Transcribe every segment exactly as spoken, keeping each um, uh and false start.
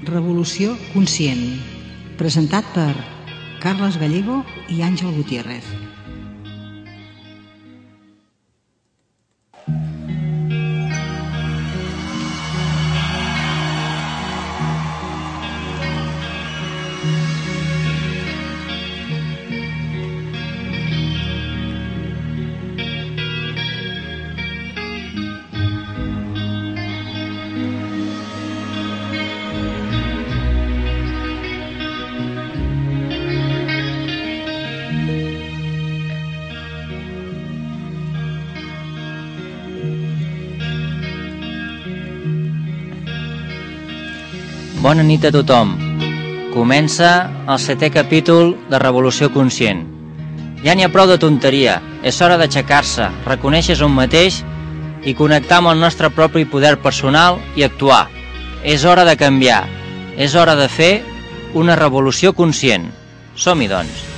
Revolució conscient, presentat per Carles Gallego i Àngel Gutiérrez. Bona nit a tothom. Comença el setè capítol de Revolució Conscient. Ja n'hi ha prou de tonteria. És hora d'aixecar-se, reconèixer-se un mateix i connectar amb el nostre propi poder personal i actuar. És hora de canviar. És hora de fer una revolució conscient. Som-hi, doncs.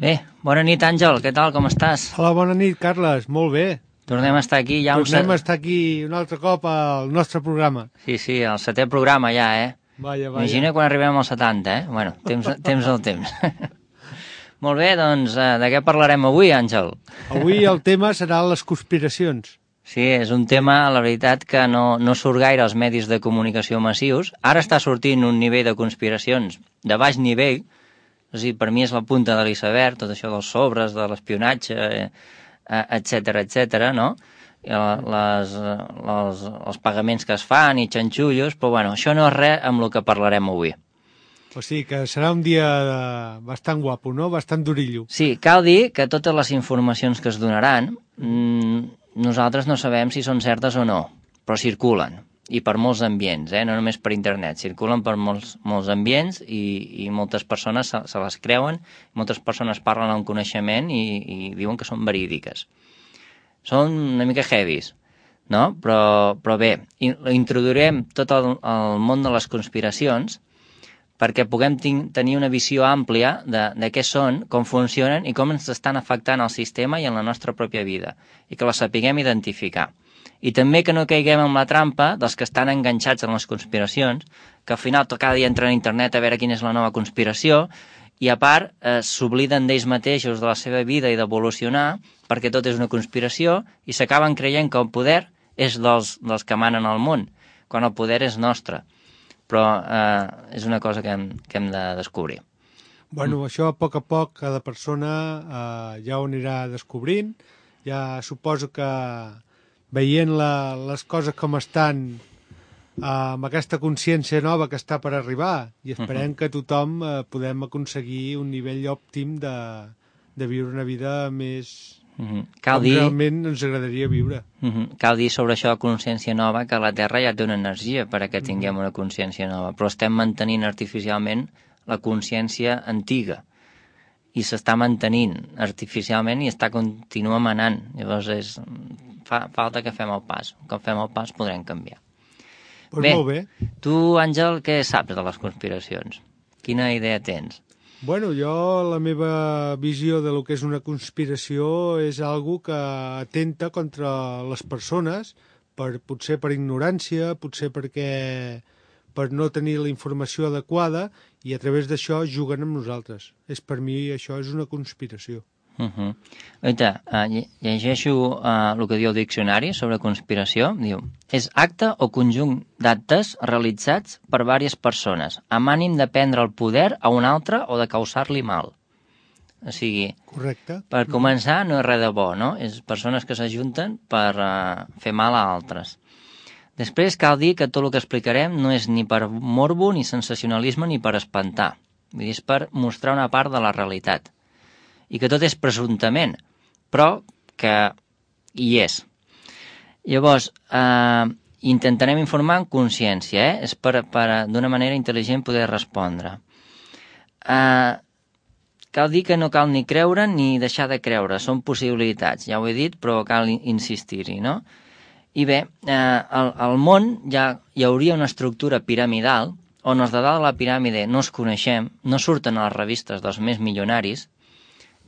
Bé, bona nit, Àngel, què tal, com estàs? Hola, bona nit, Carles, molt bé. Tornem a estar aquí ja un... Tornem a estar aquí un altre cop al nostre programa. Sí, sí, el setè programa ja, eh? Vaja, vaja. Imagina quan arribem als setanta, eh? Bueno, temps, temps al temps. Molt bé, doncs, de què parlarem avui, Àngel? Avui el tema serà les conspiracions. Sí, és un tema, la veritat, que no, no surt gaire als medis de comunicació massius. Ara està sortint un nivell de conspiracions de baix nivell. O sigui, per mi és la punta de l'iceberg, tot això dels sobres, de l'espionatge, etcètera, etcètera, no? Les, les, els pagaments que es fan i xanxullos, però bueno, això no és res amb el que parlarem avui. O sigui, que serà un dia bastant guapo, no? Bastant durillo. Sí, cal dir que totes les informacions que es donaran, nosaltres no sabem si són certes o no, però circulen. I per molts ambients, eh? No només per internet, circulen per molts, molts ambients i, i moltes persones se, se les creuen, moltes persones parlen amb coneixement i, i diuen que són verídiques. Són una mica heavies, no? Però, però bé, introduirem tot el, el món de les conspiracions perquè puguem tenir una visió àmplia de, de què són, com funcionen i com ens estan afectant al sistema i en la nostra pròpia vida, i que les sapiguem identificar. I també que no caiguem en la trampa dels que estan enganxats en les conspiracions, que al final cada dia entren a internet a veure quina és la nova conspiració, i a part eh, s'obliden d'ells mateixos, de la seva vida i d'evolucionar, perquè tot és una conspiració, i s'acaben creient que el poder és dels, dels que manen al món, quan el poder és nostre. Però eh, és una cosa que hem, que hem de descobrir. Bueno, mm. això a poc a poc cada persona eh, ja ho anirà descobrint. Ja suposo que veient la, les coses com estan, eh, amb aquesta consciència nova que està per arribar, i esperem uh-huh. que tothom eh, podem aconseguir un nivell òptim de, de viure una vida més uh-huh. Cal com dir... realment ens agradaria viure. Uh-huh. Cal dir sobre això de consciència nova que la Terra ja té una energia per a que tinguem una consciència nova, però estem mantenint artificialment la consciència antiga i s'està mantenint artificialment i està continua manant. Llavors és... Fa, falta que fem el pas. Quan fem el pas podrem canviar. Pues bé, molt bé. Tu, Àngel, què saps de les conspiracions? Quina idea tens? Bueno, jo la meva visió de lo que és una conspiració és algo que atenta contra les persones, per, potser per ignorància, potser perquè per no tenir la informació adequada, i a través d'això juguen amb nosaltres. És, per mi això és una conspiració. Uh-huh. Oita, uh, llegeixo uh, el que diu el diccionari sobre conspiració. Diu, és acte o conjunt d'actes realitzats per diverses persones amb ànim de prendre el poder a un altre o de causar-li mal. O sigui, correcte. Per començar no és res de bo, no? És persones que s'ajunten per uh, fer mal a altres. Després cal dir que tot el que explicarem no és ni per morbo, ni sensacionalisme, ni per espantar. Vull dir, és per mostrar una part de la realitat. I que tot és presumptament, però que hi és. Llavors, eh, intentarem informar amb consciència, eh? És per, per d'una manera intel·ligent poder respondre. Eh, cal dir que no cal ni creure ni deixar de creure, són possibilitats, ja ho he dit, però cal insistir-hi, no? I bé, eh, al, al món ja hi hauria una estructura piramidal on els de dalt de la piràmide no es coneixem, no surten a les revistes dels més milionaris,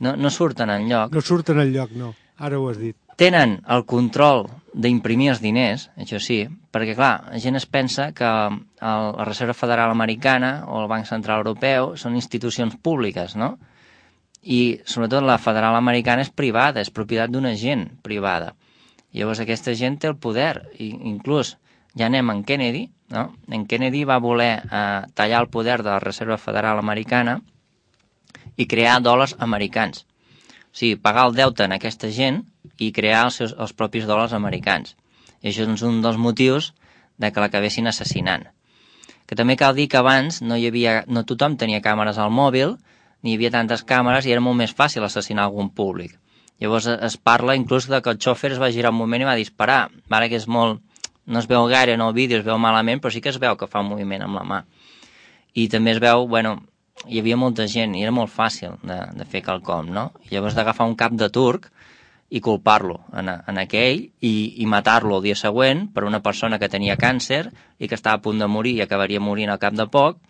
no, no surten enlloc. No surten enlloc, no. Ara ho has dit. Tenen el control d'imprimir els diners, això sí, perquè, clar, la gent es pensa que el, la Reserva Federal Americana o el Banc Central Europeu són institucions públiques, no? I, sobretot, la Federal Americana és privada, és propietat d'una gent privada. Llavors, aquesta gent té el poder, i inclús ja anem en Kennedy, no? En Kennedy va voler eh, tallar el poder de la Reserva Federal Americana i crear dòlars americans. O sigui, pagar el deute en aquesta gent i crear els, seus, els propis dòlars americans. I això és un dels motius de que l'acabessin assassinant. Que també cal dir que abans no hi havia, no tothom tenia càmeres al mòbil, ni hi havia tantes càmeres i era molt més fàcil assassinar algun públic. Llavors es parla inclús de que el xòfer es va girar un moment i va disparar. Vale, que és molt... No es veu gaire en el vídeo, es veu malament, però sí que es veu que fa un moviment amb la mà. I també es veu, bueno, hi havia molta gent i era molt fàcil de, de fer quelcom, no? I llavors d'agafar un cap de turc i culpar-lo en, en aquell i, i matar-lo el dia següent per una persona que tenia càncer i que estava a punt de morir i acabaria morint al cap de poc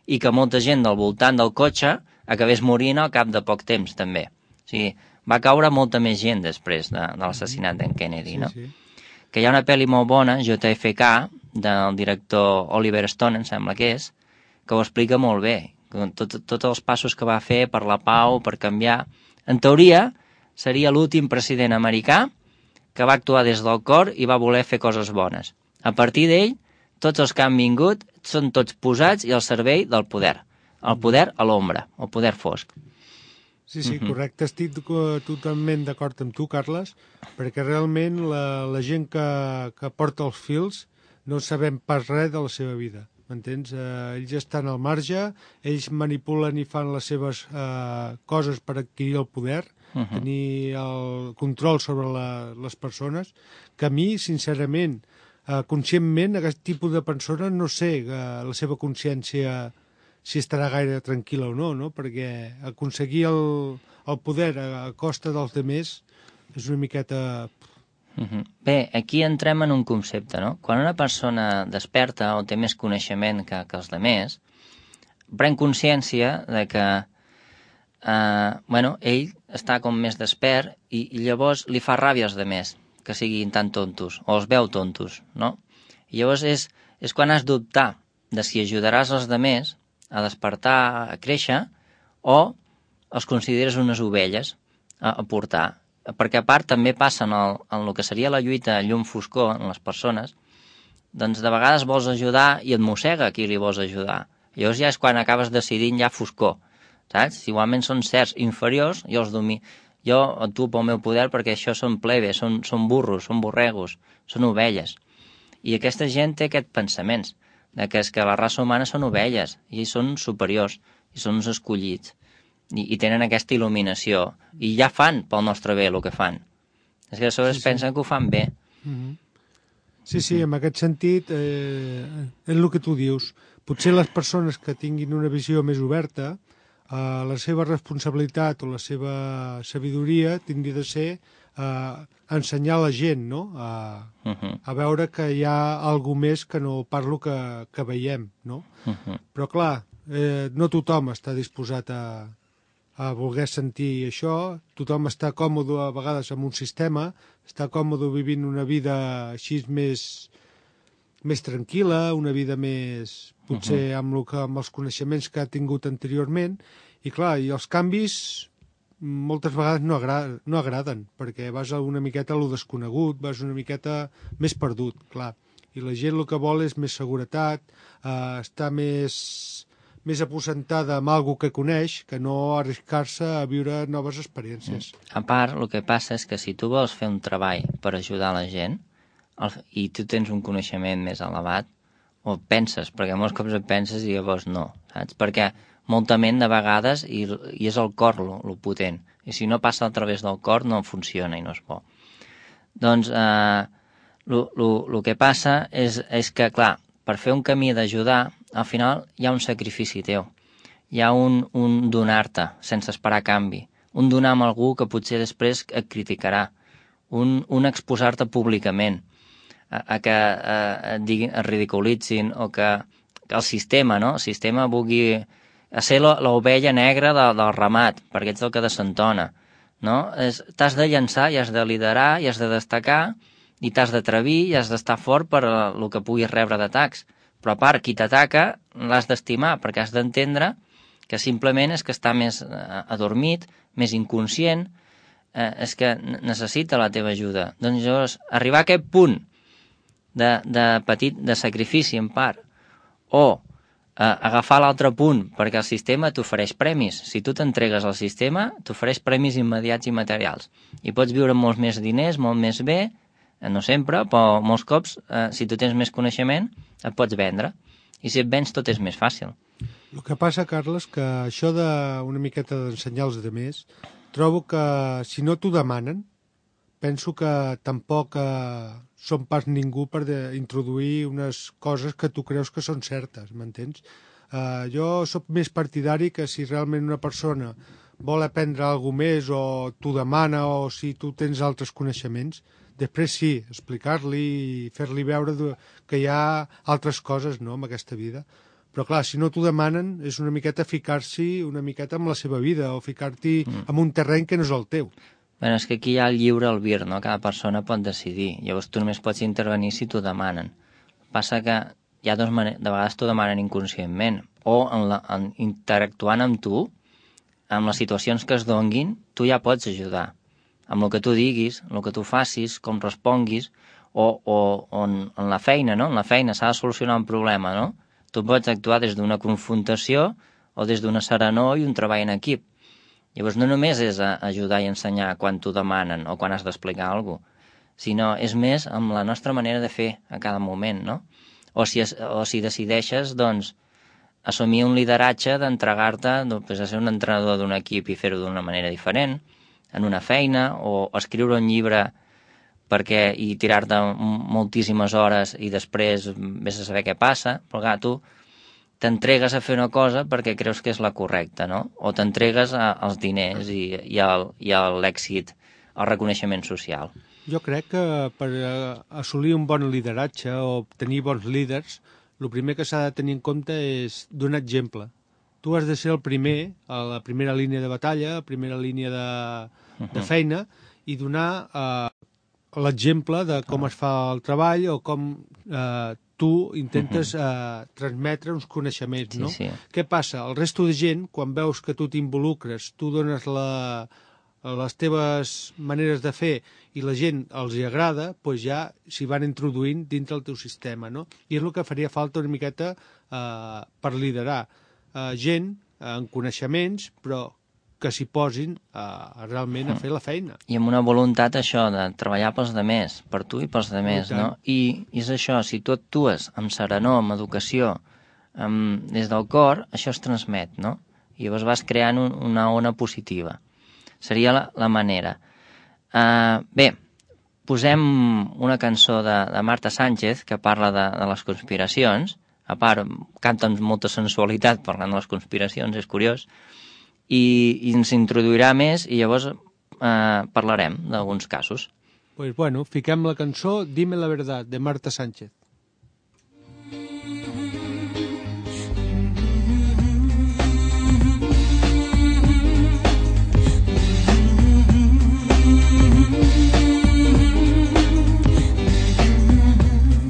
i que molta gent del voltant del cotxe acabés morint al cap de poc temps, també. O sigui, va caure molta més gent després de, de l'assassinat d'en Kennedy, no? Sí, sí. Que hi ha una pel·li molt bona, J F K, del director Oliver Stone, em sembla que és, que ho explica molt bé. Tots tot els passos que va fer per la pau, per canviar... En teoria, seria l'últim president americà que va actuar des del cor i va voler fer coses bones. A partir d'ell, tots els que han vingut són tots posats i al servei del poder. El poder a l'ombra, el poder fosc. Sí, sí, correcte. Estic totalment d'acord amb tu, Carles, perquè realment la, la gent que, que porta els fils no sabem pas res de la seva vida, m'entens? Eh, ells estan al marge, ells manipulen i fan les seves eh, coses per adquirir el poder, uh -huh. tenir el control sobre la, les persones, que a mi, sincerament, eh, conscientment, aquest tipus de persones no sé eh, la seva consciència si estarà gaire tranquil·la o no, no? Perquè aconseguir el, el poder a, a costa dels demés és una miqueta... Uh-huh. Bé, aquí entrem en un concepte, no? Quan una persona desperta o té més coneixement que, que els demés, pren consciència de que eh, bueno, ell està com més despert i, i llavors li fa ràbia als demés que siguin tan tontos, o els veu tontos, no? I llavors és, és quan has d'optar de si ajudaràs els demés a despertar, a créixer, o els consideres unes ovelles a, a portar. Perquè a part també passa en el, en el que seria la lluita llum-foscor en les persones, doncs de vegades vols ajudar i et mossega qui li vols ajudar. Llavors ja és quan acabes decidint ja foscor, saps? Si igualment són certs inferiors, jo els domino. Jo actuo pel meu poder perquè això són plebes, són, són burros, són borregos, són ovelles. I aquesta gent té aquests pensaments, de que és que la raça humana són ovelles, i són superiors, i són uns escollits, i, i tenen aquesta il·luminació, i ja fan pel nostre bé el que fan. És que a sobre sí, es pensen sí. que ho fan bé. Mm-hmm. Sí, sí, en aquest sentit, eh, és el que tu dius. Potser les persones que tinguin una visió més oberta, eh, la seva responsabilitat o la seva sabidoria tindria de ser eh, ensenyar la gent, no? A, uh-huh. a veure que hi ha alguna més que no parlo que, que veiem, no? Uh-huh. Però clar, eh, no tothom està disposat a, a voler sentir això, tothom està còmode a vegades amb un sistema, està còmode vivint una vida així més, més tranquil·la, una vida més, potser uh-huh. amb, lo que, amb els coneixements que ha tingut anteriorment, i clar, i els canvis moltes vegades no, agrada, no agraden, perquè vas una miqueta a lo desconegut, vas una miqueta més perdut, clar. I la gent el que vol és més seguretat, eh, estar més, més aposentada amb alguna que coneix, que no arriscar-se a viure noves experiències. A part, el que passa és que si tu vols fer un treball per ajudar la gent el, i tu tens un coneixement més elevat, o penses, perquè molts cops et penses i llavors no, saps? Perquè molta ment de vegades i, i és el cor lo, lo potent, i si no passa a través del cor no funciona i no és bo. Doncs el que passa és, és que, clar, per fer un camí d'ajudar, al final hi ha un sacrifici teu. Hi ha un, un donar-te sense esperar canvi. Un donar amb algú que potser després et criticarà. Un, un exposar-te públicament. A, a que a, et, diguin, et ridiculitzin o que, que el sistema, no? El sistema vulgui a ser l'ovella negra de, del ramat, perquè ets el que desentona. No? T'has de llançar i has de liderar i has de destacar i t'has d'atrevir i has d'estar fort per el que puguis rebre d'atacs. Però a part, qui t'ataca l'has d'estimar, perquè has d'entendre que simplement és que està més adormit, més inconscient, eh, és que necessita la teva ajuda. Doncs llavors, arribar a aquest punt de, de petit, de sacrifici en part, o eh, agafar l'altre punt, perquè el sistema t'ofereix premis. Si tu t'entregues al sistema, t'ofereix premis immediats i materials. I pots viure molts més diners, molt més bé, no sempre, però molts cops, eh, si tu tens més coneixement, et pots vendre. I si et vens, tot és més fàcil. El que passa, Carles, que això d'una miqueta d'ensenyar als altres, trobo que si no t'ho demanen, penso que tampoc eh, som pas ningú per de, introduir unes coses que tu creus que són certes, m'entens? Eh, jo sóc més partidari que si realment una persona vol aprendre alguna més o t'ho demana o si tu tens altres coneixements, després sí, explicar-li i fer-li veure que hi ha altres coses, no?, en aquesta vida. Però clar, si no t'ho demanen és una miqueta ficar-s'hi una miqueta amb la seva vida o ficar-t'hi mm. en un terreny que no és el teu. Bé, és que aquí hi ha el lliure albir, no? Cada persona pot decidir. Llavors tu només pots intervenir si t'ho demanen. Passa que hi ha dos maneres, de vegades t'ho demanen inconscientment o en la, en, interactuant amb tu, amb les situacions que es donguin, tu ja pots ajudar. Amb el que tu diguis, amb el que tu facis, com responguis, o, o, o en, en la feina, no? En la feina s'ha de solucionar un problema, no? Tu pots actuar des d'una confrontació o des d'una serenor i un treball en equip. Llavors no només és ajudar i ensenyar quan t'ho demanen o quan has d'explicar alguna cosa, sinó és més amb la nostra manera de fer a cada moment, no? O si, es, o si decideixes, doncs, assumir un lideratge d'entregar-te doncs, a ser un entrenador d'un equip i fer-ho d'una manera diferent, en una feina, o escriure un llibre perquè i tirar-te moltíssimes hores i després vés a saber què passa, però clar, tu t'entregues a fer una cosa perquè creus que és la correcta, no? O t'entregues als diners i, i, al, i a l'èxit, al reconeixement social. Jo crec que per assolir un bon lideratge o tenir bons líders, el primer que s'ha de tenir en compte és donar exemple. Tu has de ser el primer, a la primera línia de batalla, a la primera línia de, de feina, i donar eh, l'exemple de com es fa el treball o com eh, tu intentes eh, transmetre uns coneixements, no? Sí, sí. Què passa? El resto de gent, quan veus que tu t'involucres, tu dones la, les teves maneres de fer i la gent els hi agrada, doncs ja s'hi van introduint dintre el teu sistema, no? I és el que faria falta una miqueta eh, per liderar. Uh, gent uh, amb coneixements, però que s'hi posin uh, realment a fer la feina. I amb una voluntat, això, de treballar pels demés, per tu i pels demés, no? I, I és això, si tu actues amb serenor, amb educació, amb, des del cor, això es transmet, no? I llavors vas creant un, una ona positiva. Seria la, la manera. Uh, bé, posem una cançó de, de Marta Sánchez que parla de, de les conspiracions. A part, canta amb molta sensualitat parlant de les conspiracions, és curiós, i, i ens introduirà més i llavors eh, parlarem d'alguns casos. Pues bueno, fiquem la cançó Dime la verdad, de Marta Sánchez.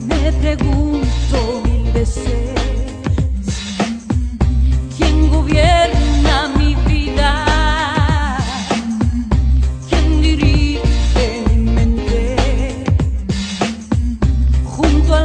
Me pregunto mil veces ¿quién gobierna mi vida? ¿Quién dirige mi mente? Junto a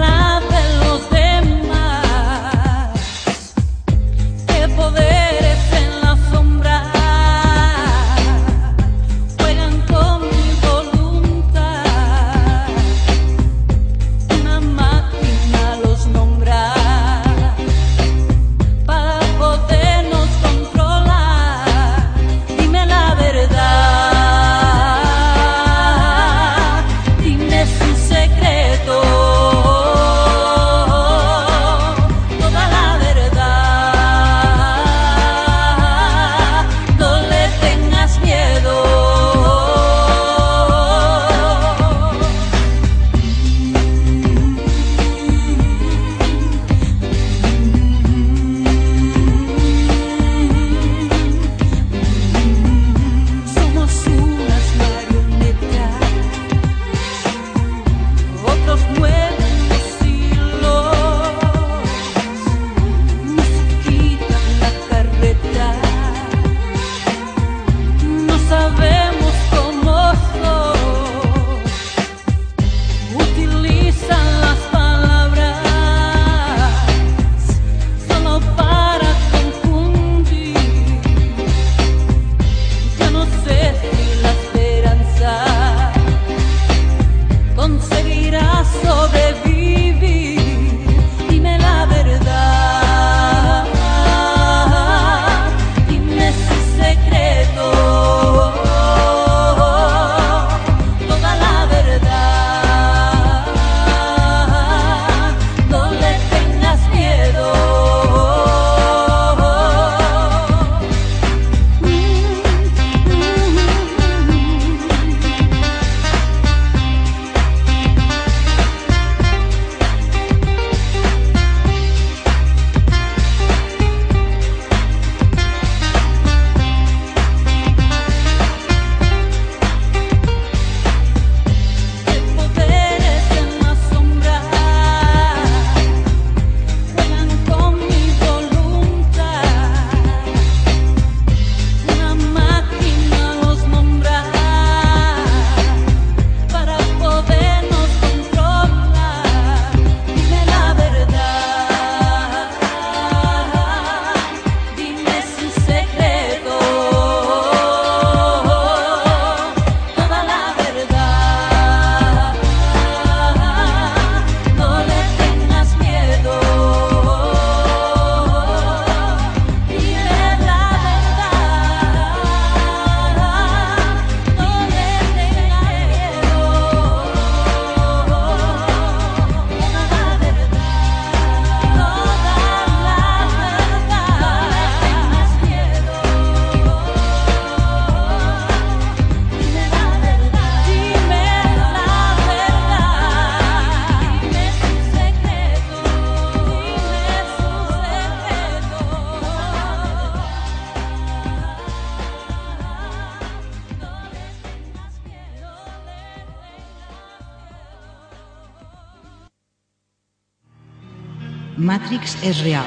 Matrix és real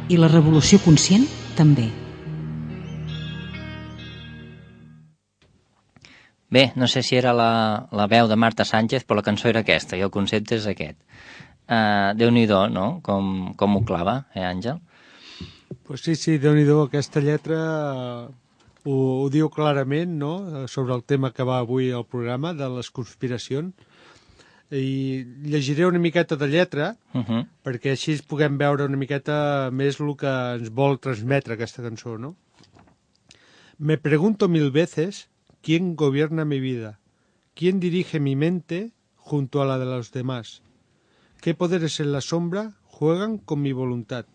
i la revolució conscient també. Bé, no sé si era la, la veu de Marta Sánchez, però la cançó era aquesta i el concepte és aquest. Uh, Déu-n'hi-do, no? Com, com ho clava, eh, Àngel? Pues sí, sí, Déu-n'hi-do, aquesta lletra ho, ho diu clarament, no?, sobre el tema que va avui al programa, de les conspiracions. I llegiré una miqueta de lletra, uh -huh. perquè així puguem veure una miqueta més el que ens vol transmetre aquesta cançó, no? Me pregunto mil veces quién gobierna mi vida, quién dirige mi mente junto a la de los demás, qué poderes en la sombra juegan con mi voluntad.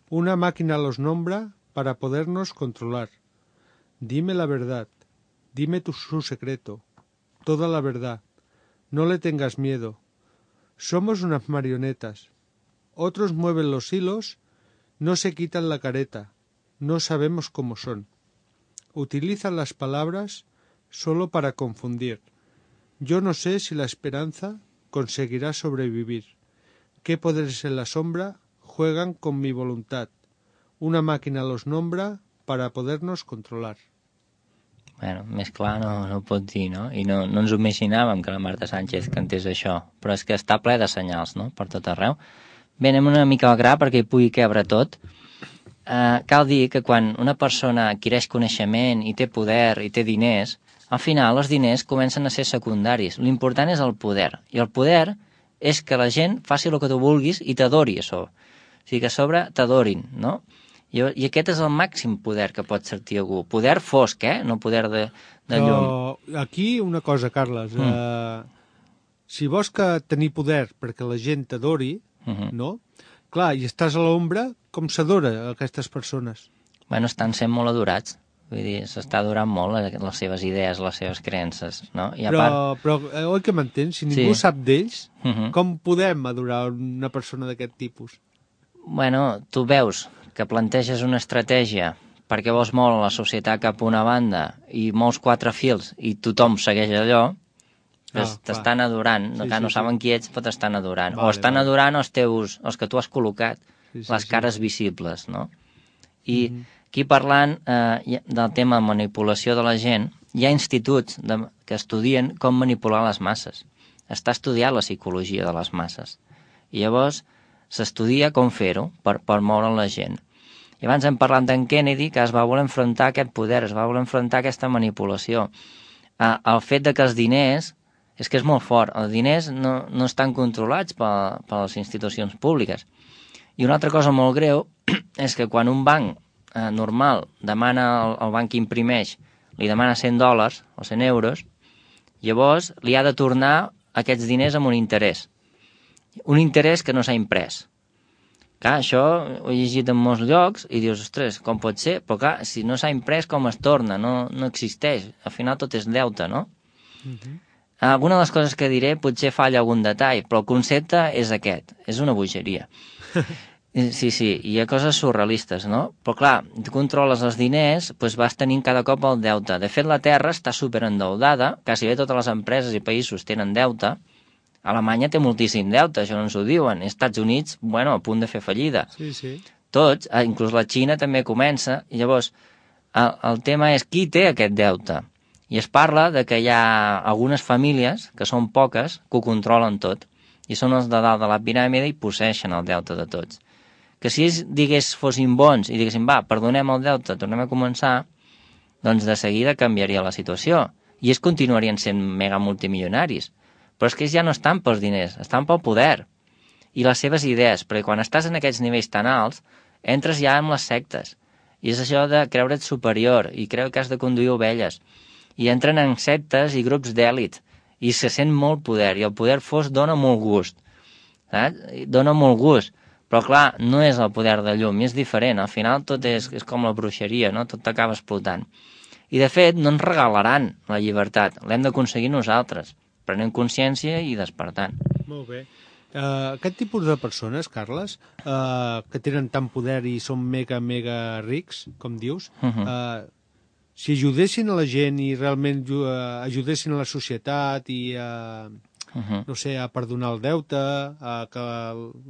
Una máquina los nombra para podernos controlar. Dime la verdad, dime tu, su secreto, toda la verdad. No le tengas miedo. Somos unas marionetas. Otros mueven los hilos, no se quitan la careta, no sabemos cómo son. Utilizan las palabras solo para confundir. Yo no sé si la esperanza conseguirá sobrevivir. ¿Qué poderes en la sombra juegan con mi voluntad? Una máquina los nombra para podernos controlar. Bueno, més clar no, no ho pot dir, no? I no, no ens ho imaginàvem que la Marta Sánchez cantés això, però és que està ple de senyals, no?, per tot arreu. Bé, anem una mica al gra perquè hi pugui quebre tot. Uh, cal dir que quan una persona adquireix coneixement i té poder i té diners, al final els diners comencen a ser secundaris. L'important és el poder, i el poder és que la gent faci el que tu vulguis i t'adori això. O sigui, que a sobre t'adorin, no? I, I aquest és el màxim poder que pot sentir algú. Poder fosc, eh? No poder de, de llum. Però aquí una cosa, Carles. Mm. Uh, si vols que tenir poder perquè la gent t'adori, uh-huh. no? Clar, i estàs a l'ombra, com s'adora aquestes persones? Bueno, estan sent molt adorats. Vull dir, s'està adorant molt les seves idees, les seves creences, no? I a però, part... però, eh, oi que m'entens? Si ningú sí. sap d'ells, uh-huh. com podem adorar una persona d'aquest tipus? Bueno, tu veus que planteges una estratègia perquè vols moure la societat cap a una banda i mous quatre fils i tothom segueix allò, ah, t'estan adorant, sí, no, no sí, saben sí. qui ets, però t'estan adorant. Vale, o estan vale. adorant els teus, els que tu has col·locat, sí, sí, les cares sí. visibles, no? I mm-hmm. aquí parlant eh, del tema de manipulació de la gent, hi ha instituts de, que estudien com manipular les masses. Està estudiat la psicologia de les masses. I llavors s'estudia com fer-ho per, per moure la gent. I abans hem parlat d'en Kennedy, que es va voler enfrontar aquest poder, es va voler enfrontar aquesta manipulació. Eh, el fet de que els diners, és que és molt fort, els diners no, no estan controlats per, per les institucions públiques. I una altra cosa molt greu és que quan un banc eh, normal demana al, al banc que imprimeix, li demana cent dòlars o cent euros, llavors li ha de tornar aquests diners amb un interès. Un interès que no s'ha imprès. Clar, això ho he llegit en molts llocs i dius, ostres, com pot ser? Però clar, si no s'ha imprès, com es torna? No, no existeix. Al final tot és deute, no? Uh-huh. Alguna de les coses que diré potser falla algun detall, però el concepte és aquest. És una bogeria. Sí, sí, hi ha coses surrealistes, no? Però clar, tu controles els diners, doncs vas tenint cada cop el deute. De fet, la Terra està superendeudada, quasi bé totes les empreses i països tenen deute. Alemanya té moltíssim deute, això no ens ho diuen. Els Estats Units, bueno, a punt de fer fallida. Sí, sí. Tots, inclús la Xina també comença, i llavors el, el tema és qui té aquest deute. I es parla de que hi ha algunes famílies, que són poques, que ho controlen tot, i són els de dalt de la piràmide i posseixen el deute de tots. Que si ells, digués, fossin bons i diguessin, va, perdonem el deute, tornem a començar, doncs de seguida canviaria la situació. I ells continuarien sent mega multimilionaris. Però és que ells ja no estan pels diners, estan pel poder i les seves idees, perquè quan estàs en aquests nivells tan alts, entres ja en les sectes. I és això de creure't superior i creu que has de conduir ovelles. I entren en sectes i grups d'èlit i se sent molt poder, i el poder fos dona molt gust. Saps? Dona molt gust. Però clar, no és el poder de llum, i és diferent. Al final tot és, és com la bruixeria, no? Tot t'acaba explotant. I de fet no ens regalaran la llibertat, l'hem d'aconseguir nosaltres, prenent consciència i despertant. Molt bé. Uh, aquest tipus de persones, Carles, uh, que tenen tant poder i són mega, mega rics, com dius, uh-huh. uh, si ajudessin a la gent i realment uh, ajudessin a la societat i uh, uh-huh. no sé, a perdonar el deute, a que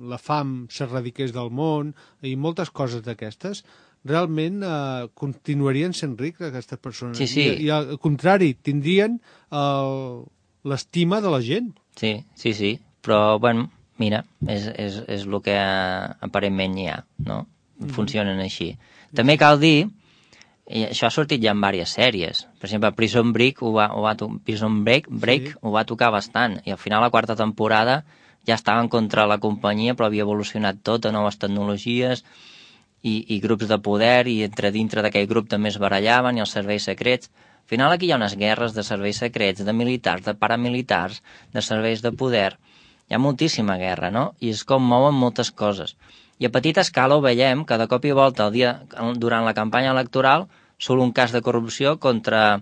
la fam s'erradiqués del món, i moltes coses d'aquestes, realment eh, continuarien sent rics aquestes persones. Sí, sí. I, I al contrari, tindrien l'estima de la gent. Sí, sí, sí. Però, bueno, mira, és, és, és el que aparentment hi ha, no? Funcionen així. També cal dir, i això ha sortit ja en diverses sèries, per exemple, Prison Break ho va, ho va, Prison Break, Break sí. ho va tocar bastant, i al final la quarta temporada ja estaven contra la companyia, però havia evolucionat tot a noves tecnologies i, i grups de poder, i entre dintre d'aquell grup també es barallaven, i els serveis secrets. Al final aquí hi ha unes guerres de serveis secrets, de militars, de paramilitars, de serveis de poder. Hi ha moltíssima guerra, no? I és com mouen moltes coses. I a petita escala ho veiem que de cop i volta el dia, durant la campanya electoral surt un cas de corrupció contra,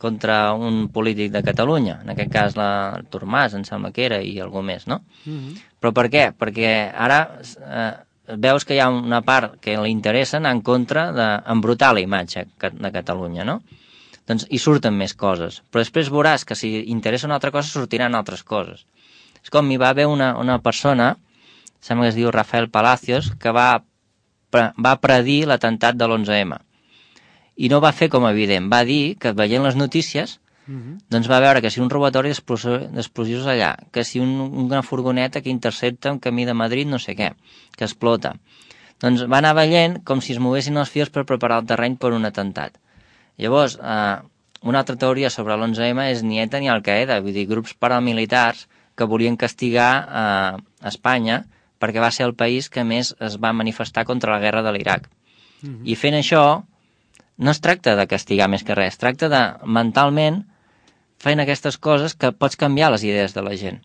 contra un polític de Catalunya, en aquest cas l'Artur Mas, em sembla que era, i algú més, no? Mm-hmm. Però per què? Perquè ara eh, veus que hi ha una part que li interessa anar en contra d'embrutar la imatge de Catalunya, no? Doncs hi surten més coses, però després veuràs que si interessa una altra cosa sortiran altres coses. És com hi va haver una, una persona, sembla que es diu Rafael Palacios, que va, pre, va predir l'atemptat de l'onze eme. I no va fer com evident, va dir que veient les notícies, uh-huh. doncs va veure que si un robatori d'explosius allà, que si un, una furgoneta que intercepta en camí de Madrid no sé què, que explota. Doncs va anar veient com si es moguessin els fils per preparar el terreny per un atemptat. Llavors, eh, una altra teoria sobre l'onze eme és ni ETA ni Al-Qaeda, vull dir, grups paramilitars que volien castigar eh, Espanya perquè va ser el país que més es va manifestar contra la guerra de l'Iraq. Mm-hmm. I fent això, no es tracta de castigar més que res, es tracta de, mentalment, fent aquestes coses que pots canviar les idees de la gent.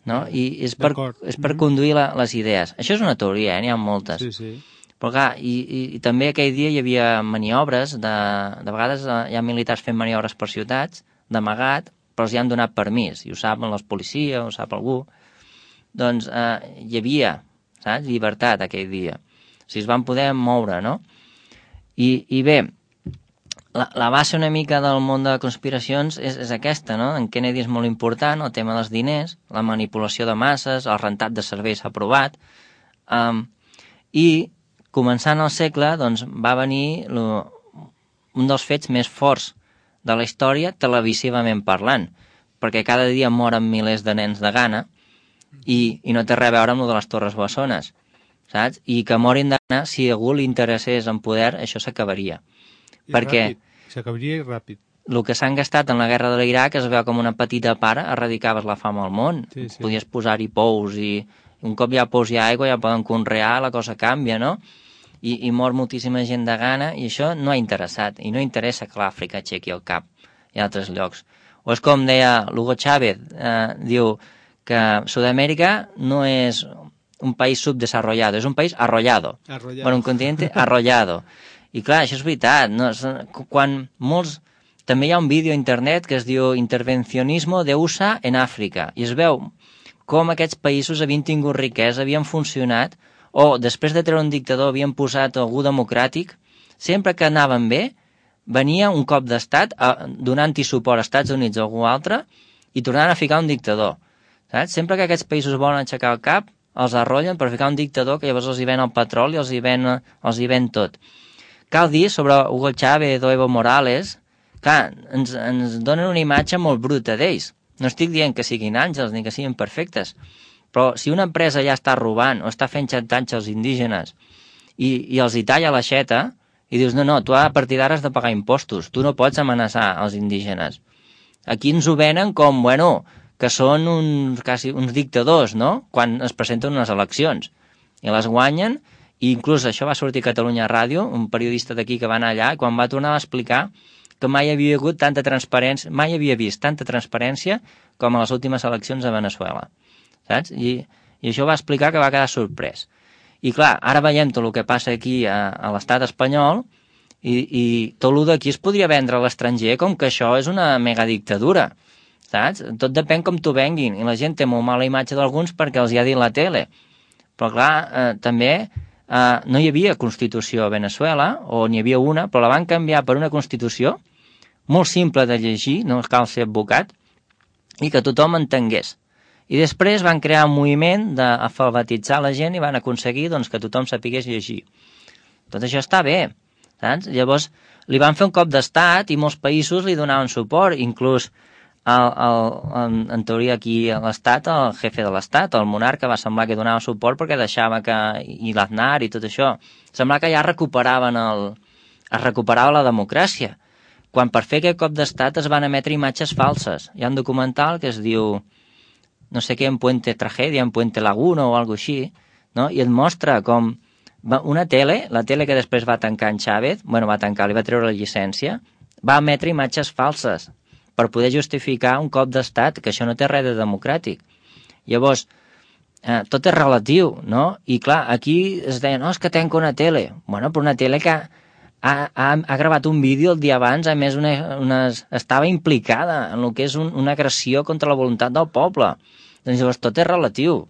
No? I és per, és per mm-hmm. conduir la, les idees. Això és una teoria, eh? N'hi ha moltes. Sí, sí. Però clar, i, i, i també aquell dia hi havia maniobres, de, de vegades hi ha militars fent maniobres per ciutats, d'amagat, però els hi han donat permís, i ho saben les policies, ho sap algú. Doncs eh, hi havia, saps, llibertat aquell dia. O sigui, es van poder moure, no? I, i bé, la, la base una mica del món de conspiracions és, és aquesta, no? En Kennedy és molt important, el tema dels diners, la manipulació de masses, el rentat de serveis aprovat, um, i començant el segle, doncs, va venir lo, un dels fets més forts de la història televisivament parlant, perquè cada dia moren milers de nens de gana i, i no té res a veure amb el de les Torres Bessones, saps? I que morin de gana, si a algú li interessés en poder, això s'acabaria. I perquè ràpid. S'acabaria i ràpid. El que s'han gastat en la guerra de l'Iraq es veu com una petita part, erradicaves la fam al món. Sí, sí. Podies posar-hi pous i un cop hi ha pous i aigua ja poden conrear, la cosa canvia, no? I, i mor moltíssima gent de gana, i això no ha interessat, i no interessa que l'Àfrica aixequi el cap i altres llocs. O és com deia Hugo Chávez, eh, diu que Sud-amèrica no és un país subdesarrollado, és un país arrollado. Arrollado. Bueno, un continente arrollado. I clar, això és veritat, no? Quan molts... També hi ha un vídeo a internet que es diu Intervencionismo de U S A en Àfrica, i es veu com aquests països havien tingut riquesa, havien funcionat, o després de treure un dictador havien posat algú democràtic, sempre que anaven bé, venia un cop d'estat donant-hi suport als Estats Units o algú altre i tornant a ficar un dictador. Saps? Sempre que aquests països volen aixecar el cap, els arrollen per ficar un dictador que llavors els hi ven el petroli i els hi ven, els hi ven tot. Cal dir sobre Hugo Chávez o Evo Morales, clar, ens, ens donen una imatge molt bruta d'ells. No estic dient que siguin àngels ni que siguin perfectes, però si una empresa ja està robant o està fent xantatge als indígenes i, i els hi talla l'aixeta i dius, no, no, tu a partir d'ara has de pagar impostos, tu no pots amenaçar els indígenes. Aquí ens ho venen com, bueno, que són uns, quasi, uns dictadors, no?, quan es presenten unes eleccions. I les guanyen, i inclús això va sortir a Catalunya Ràdio, un periodista d'aquí que va anar allà, i quan va tornar a explicar que mai havia hagut tanta transparència, mai havia vist tanta transparència com a les últimes eleccions a Veneçuela. Saps? I, i això va explicar que va quedar sorprès. I clar, ara veiem tot el que passa aquí a, a l'estat espanyol i, i tot el d'aquí es podria vendre a l'estranger com que això és una megadictadura, saps? Tot depèn com t'ho venguin, i la gent té molt mala imatge d'alguns perquè els hi ha dit la tele. Però clar, eh, també eh, no hi havia Constitució a Veneçuela, o n'hi havia una, però la van canviar per una Constitució molt simple de llegir, no cal ser advocat, i que tothom entengués. I després van crear un moviment d'alfabetitzar la gent i van aconseguir doncs, que tothom sapigués llegir. Tot això està bé, saps? Llavors li van fer un cop d'estat i molts països li donaven suport, inclús el, el, en, en teoria aquí a l'estat, el jefe de l'estat, el monarca, va semblar que donava suport perquè deixava que, i l'Aznar i tot això, semblava que ja recuperaven el, es recuperava la democràcia, quan per fer aquest cop d'estat es van emetre imatges falses. Hi ha un documental que es diu no sé què, en Puente Tragedia, en Puente Laguna o alguna així, no? I et mostra com una tele, la tele que després va tancar en Chávez, bueno, va tancar, li va treure la llicència, va emetre imatges falses per poder justificar un cop d'estat, que això no té res de democràtic. Llavors, eh, tot és relatiu, no? I clar, aquí es deia, no, és que tenc una tele. Bueno, però una tele que ha, ha, ha gravat un vídeo el dia abans, a més una, una, estava implicada en el que és un, una agressió contra la voluntat del poble. Doncs llavors tot és relatiu.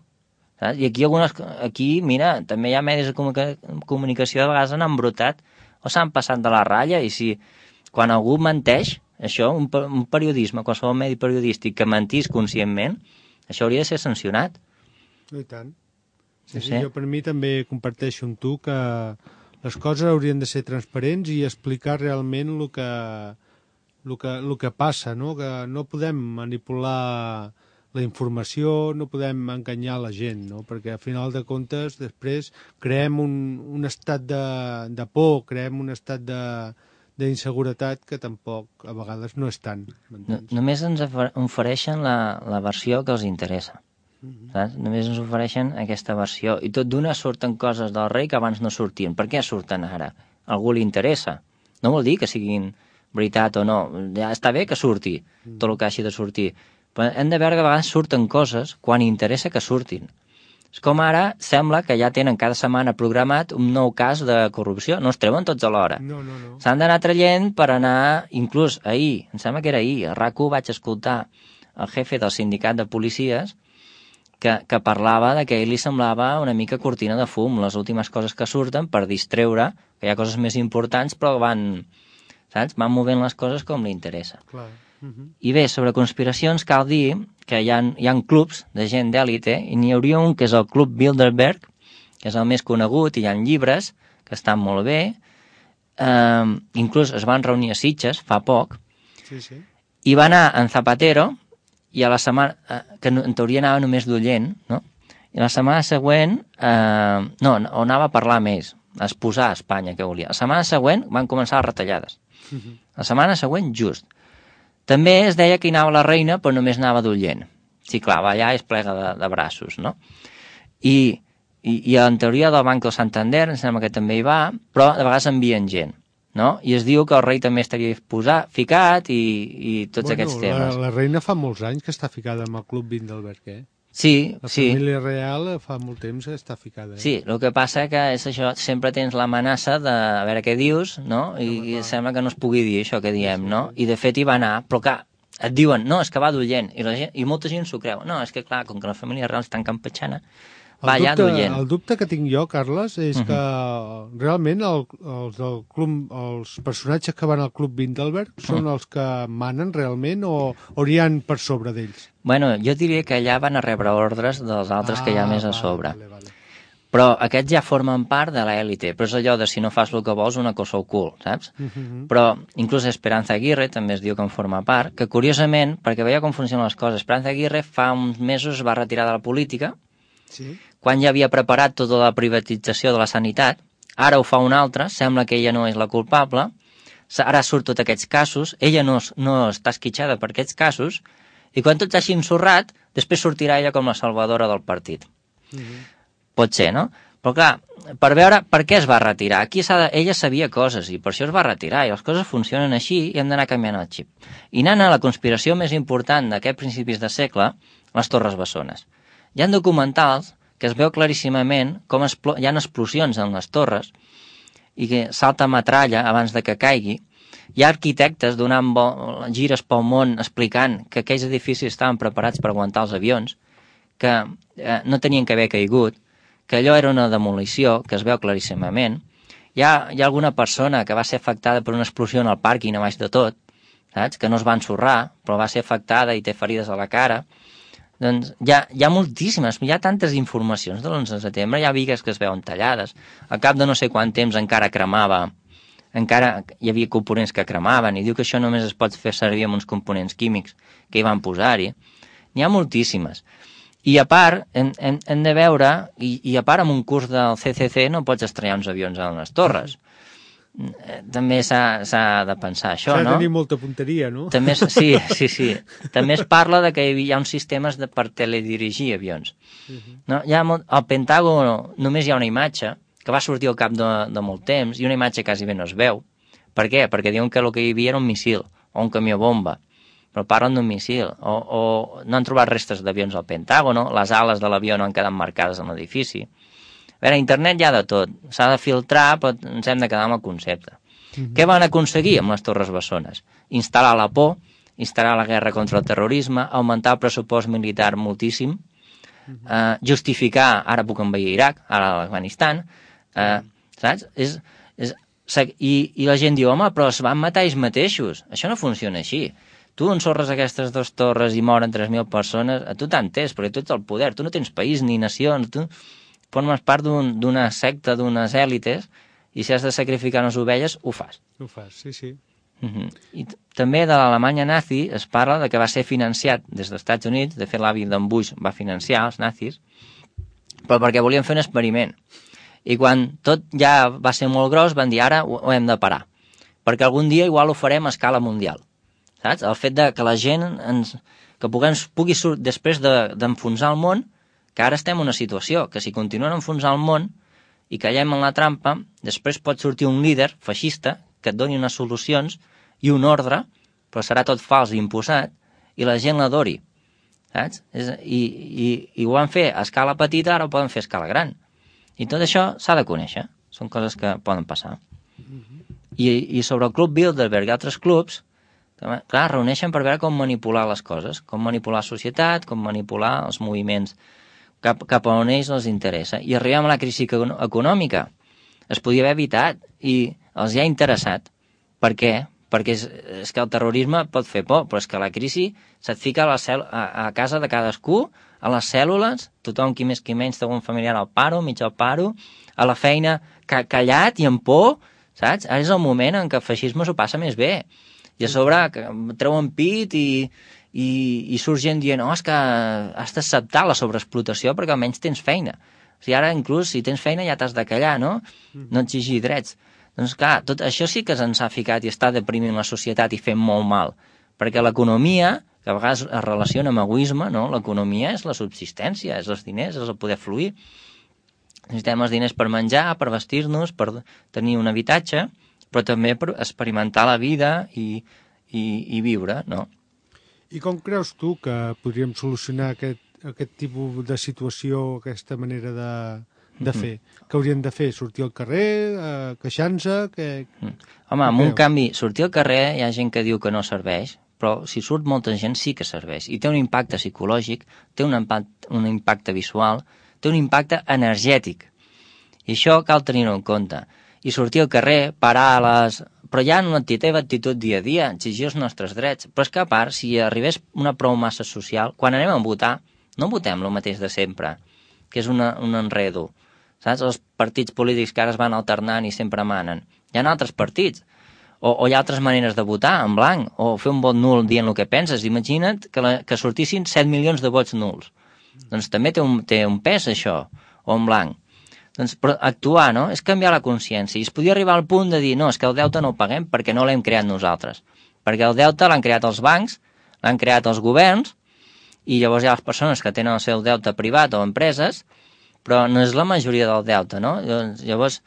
Saps? I aquí, algunes, aquí, mira, també hi ha medis de comunicació de vegades han embrutat o s'han passat de la ratlla, i si quan algú menteix, això, un, un periodisme, qualsevol medi periodístic que mentís conscientment, això hauria de ser sancionat. I tant. Sí, no sí, sé. jo per mi també comparteixo amb tu que les coses haurien de ser transparents i explicar realment el que, el que, el que passa, no? Que no podem manipular la informació, no podem enganyar la gent, no? Perquè al final de comptes després creem un, un estat de, de por, creem un estat de d'inseguretat que tampoc a vegades no és tant. No, només ens ofereixen la, la versió que els interessa. Mm-hmm. Saps? Només ens ofereixen aquesta versió. I tot d'una surten coses del rei que abans no sortien. Per què surten ara? A algú li interessa. No vol dir que siguin veritat o no. Ja està bé que surti tot el que hagi de sortir. Però hem de veure que a vegades surten coses quan interessa que surtin. És com ara sembla que ja tenen cada setmana programat un nou cas de corrupció. No es treuen tots alhora. No, no, no. S'han d'anar traient per anar, inclús ahir, em sembla que era ahir, a RAC u vaig escoltar el jefe del sindicat de policies que, que parlava de que a ell li semblava una mica cortina de fum, les últimes coses que surten per distreure, que hi ha coses més importants, però van, saps? Van movent les coses com li interessa. Clar. Uh-huh. I bé, sobre conspiracions cal dir que hi ha, hi ha clubs de gent d'èlite, i n'hi hauria un que és el Club Bilderberg, que és el més conegut, i hi ha llibres que estan molt bé, eh, inclús es van reunir a Sitges fa poc, Sí, sí. i va anar en Zapatero, i a la setmana, eh, que en teoria anava només d'oient, no? I la setmana següent, eh, no, o anava a parlar més, a exposar a Espanya que volia. La setmana següent van començar les retallades. Uh-huh. La setmana següent, just. També es deia que hi anava la reina, però només anava d'oient. Sí, clar, va allà i es plega de, de braços, no? I, i, i en teoria del Banc del Santander, em sembla que també hi va, però de vegades envien gent, no? I es diu que el rei també estaria posat, ficat i, i tots bueno, aquests temes. La, la reina fa molts anys que està ficada amb el Club Bilderberg, eh? Sí, La sí. família real fa molt temps que està ficada. Eh? Sí, el que passa que és això, sempre tens l'amenaça de a veure què dius, no? I, Home, i clar. sembla que no es pugui dir això que diem, Sí, sí, no? sí. I de fet hi va anar, però clar, et diuen, no, és que va d'oient, i, la gent, i molta gent s'ho creu. No, és que clar, com que la família real és tan campatxana, va allà dubte, d'oient. el dubte que tinc jo, Carles, és Mhm. que realment el, els, del club, els personatges que van al Club Bilderberg són Mhm. els que manen realment o, o hi ha per sobre d'ells? Bueno, jo diria que allà van a rebre ordres dels altres que hi ha més a vale, sobre. Vale, vale. Però aquests ja formen part de l'èlite, però és allò de si no fas el que vols, una cosa al cul, saps? Mhm. Però inclús Esperanza Aguirre també es diu que en forma part, que curiosament, perquè veia com funcionen les coses, Esperanza Aguirre fa uns mesos es va retirar de la política, Sí? quan ja havia preparat tota la privatització de la sanitat, ara ho fa una altra, sembla que ella no és la culpable, ara surt tots aquests casos, ella no, no està esquitxada per aquests casos, i quan tot s'hagi ensorrat, després sortirà ella com la salvadora del partit. Mhm. Pot ser, no? Però clar, per veure per què es va retirar. Aquí s'ha de... ella sabia coses i per això es va retirar, i les coses funcionen així i hem d'anar canviant el xip. I anant a la conspiració més important d'aquests principis de segle, les Torres Bessones. Hi ha documentals que es veu claríssimament com explo... hi ha explosions en les torres i que salta metralla abans de que caigui. Hi ha arquitectes donant bo... gires pel món explicant que aquells edificis estaven preparats per aguantar els avions, que eh, no tenien que haver caigut, que allò era una demolició, que es veu claríssimament. Hi ha, hi ha alguna persona que va ser afectada per una explosió en el pàrquing a baix de tot, saps? Que no es va ensorrar, però va ser afectada i té ferides a la cara. Doncs hi ha, hi ha moltíssimes, hi ha tantes informacions de l'onze de setembre, hi ha bigues que es veuen tallades, al cap de no sé quant temps encara cremava, encara hi havia components que cremaven, i diu que això només es pot fer servir amb uns components químics que hi van posar-hi. N'hi ha moltíssimes. I a part, hem, hem, hem de veure, i, i a part amb un curs del C C C no pots estrellar uns avions a les torres. També s'ha de pensar això, no? S'ha de tenir molta punteria, no? També, sí, sí, sí. També es parla de que hi ha uns sistemes de, per teledirigir avions. No? Hi ha molt, al Pentàgon només hi ha una imatge que va sortir al cap de, de molt temps i una imatge quasi bé no es veu. Per què? Perquè diuen que el que hi havia era un missil o un camió bomba, però parlen d'un missil. O, o no han trobat restes d'avions al Pentàgon, les ales de l'avió no han quedat marcades en l'edifici. A veure, a internet hi ha de tot, s'ha de filtrar, però ens hem de quedar amb el concepte. Mm-hmm. Què van aconseguir amb les Torres Bessones? Instal·lar la por, instal·lar la guerra contra el terrorisme, augmentar el pressupost militar moltíssim, mm-hmm. eh, justificar, ara puc envair Iraq, ara l'Afganistan, eh, saps? És, és, i, I la gent diu, home, però es van matar ells mateixos. Això no funciona així. Tu ensorres aquestes dues torres i moren tres mil persones, a tu t'entens, perquè tu ets el poder, tu no tens país ni nacions, tu formes part d'una un, secta, d'unes èlites, i si has de sacrificar unes ovelles, ho fas. Ho fas, sí, sí. Uh-huh. I també de l'Alemanya nazi es parla de que va ser financiat des dels Estats Units, de fet l'avi d'en Bush va financiar els nazis, però perquè volien fer un experiment. I quan tot ja va ser molt gros, van dir, ara ho, ho hem de parar, perquè algun dia igual ho farem a escala mundial. Saps? El fet de que la gent ens, que puguem, pugui sortir després d'enfonsar de, el món, que ara estem en una situació que si continuen a enfonsar el món i callem en la trampa, després pot sortir un líder feixista que et doni unes solucions i un ordre, però serà tot fals i imposat, i la gent l'adori. Saps? És, i, i, I ho van fer a escala petita, ara ho poden fer a escala gran. I tot això s'ha de conèixer. Són coses que poden passar. I, i sobre el Club Bilderberg i altres clubs, clar, reuneixen per veure com manipular les coses, com manipular la societat, com manipular els moviments cap, cap a on ells els interessa. I arribem a la crisi econòmica. Es podia haver evitat i els hi ha interessat. Per què? Perquè és, és que el terrorisme pot fer por, però és que la crisi se't fica a, la cel, a, a casa de cadascú, a les cèl·lules, tothom qui més qui menys té un familiar al paro, mig al paro, a la feina ca, callat i amb por, saps? Ara és el moment en què el feixisme s'ho passa més bé. I a sobre treuen pit i, i, i surt gent dient oh, és que has d'acceptar la sobreexplotació perquè almenys tens feina. O sigui, ara inclús si tens feina ja t'has de callar, no? No exigir drets. Doncs clar, tot això sí que se'ns ha ficat i està deprimint la societat i fent molt mal. Perquè l'economia, que a vegades es relaciona amb egoisme, no? L'economia és la subsistència, és els diners, és el poder fluir. Necessitem els diners per menjar, per vestir-nos, per tenir un habitatge, però també per experimentar la vida i, i, i viure, no? I com creus tu que podríem solucionar aquest, aquest tipus de situació, aquesta manera de, de fer? Què haurien de fer? Sortir al carrer, eh, queixant-se? Que... Home, amb un canvi, sortir al carrer hi ha gent que diu que no serveix, però si surt molta gent sí que serveix. I té un impacte psicològic, té un impacte, un impacte visual, té un impacte energètic. I això cal tenir-ho en compte. I sortir al carrer, parar a les... Però ja no té actitud dia a dia, exigir els nostres drets. Però és que a part, si arribés una prou massa social, quan anem a votar, no votem el mateix de sempre, que és una, un enredo. Saps? Els partits polítics que ara es van alternant i sempre manen. Hi ha altres partits. O, o hi ha altres maneres de votar, en blanc, o fer un vot nul dient el que penses. Imagina't que, la, que sortissin set milions de vots nuls. Doncs també té un, té un pes, això, o en blanc. Doncs, però actuar, no? És canviar la consciència. I es podia arribar al punt de dir, no, és que el deute no el paguem perquè no l'hem creat nosaltres. Perquè el deute l'han creat els bancs, l'han creat els governs, i llavors hi ha les persones que tenen el seu deute privat o empreses, però no és la majoria del deute, no? Llavors,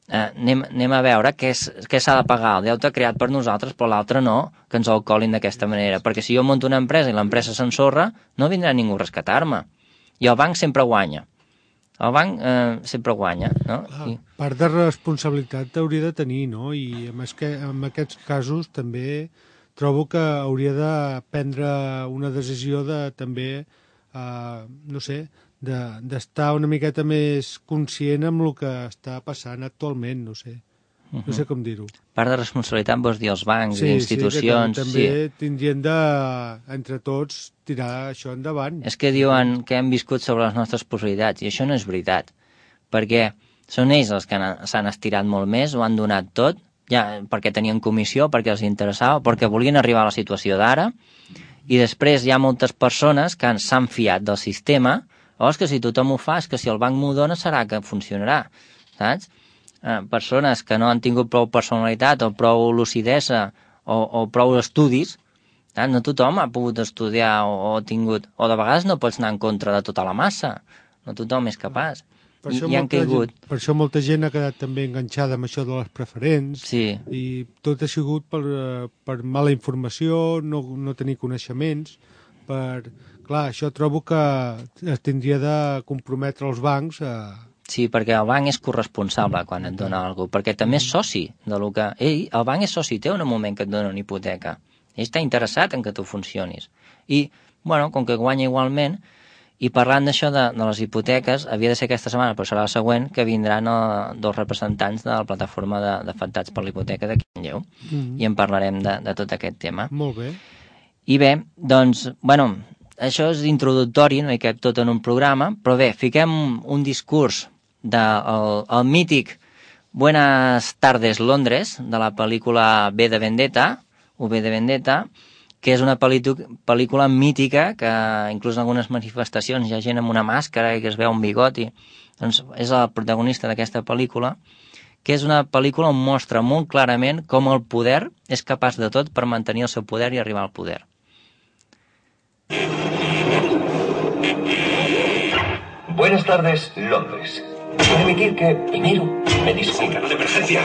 eh, anem, anem a veure què s'ha de pagar. El deute creat per nosaltres, però l'altre no, que ens el colin d'aquesta manera. Perquè si jo monto una empresa i l'empresa s'ensorra, no vindrà ningú a rescatar-me. I el banc sempre guanya. El banc eh, sempre guanya, no? Clar, I... part de responsabilitat hauria de tenir, no? I en, que, en aquests casos també trobo que hauria de prendre una decisió de també, eh, no sé, d'estar de, una miqueta més conscient amb el que està passant actualment, no sé. Uh-huh. No sé com dir-ho. Part de responsabilitat vols dir els bancs sí, i institucions. Sí, també sí. tindrien de, entre tots, tirar això endavant. És que diuen que hem viscut sobre les nostres possibilitats, i això no és veritat, perquè són ells els que s'han estirat molt més, ho han donat tot, ja perquè tenien comissió, perquè els interessava, perquè volien arribar a la situació d'ara, i després hi ha moltes persones que s'han fiat del sistema, o és que si tothom ho fa, és que si el banc m'ho dona serà que funcionarà, saps? Eh, persones que no han tingut prou personalitat o prou lucidesa o, o prou estudis, eh? No tothom ha pogut estudiar o, o tingut, o de vegades no pots anar en contra de tota la massa, no tothom és capaç. Per I, això, i han caigut. Gent, per això molta gent ha quedat també enganxada amb això de les preferents, sí. I tot ha sigut per, per mala informació, no, no tenir coneixements, per... Clar, això trobo que es tindria de comprometre els bancs a... Sí, perquè el banc és corresponsable quan et dona alguna cosa, perquè també és soci de lo que... Ell, el banc és soci teu en el moment que et dona una hipoteca. Ell està interessat en que tu funcionis. I, bueno, com que guanya igualment, i parlant d'això de, de les hipoteques, havia de ser aquesta setmana, però serà la següent, que vindran el, dos representants de la plataforma d'afectats per la hipoteca de Manlleu, mm-hmm. i en parlarem de, de tot aquest tema. Molt bé. I bé, doncs, bueno, això és introductori, no hi cap tot en un programa, però bé, fiquem un discurs del el, el mític Buenas tardes Londres, de la pel·lícula V de Vendetta, o V de Vendetta, que és una pel·lícula mítica, que inclús en algunes manifestacions hi ha gent amb una màscara i que es veu un bigoti. Doncs és el protagonista d'aquesta pel·lícula, que és una pel·lícula on mostra molt clarament com el poder és capaç de tot per mantenir el seu poder i arribar al poder. Buenas tardes, Londres. Permitir que, primero, me disculpe de emergencia.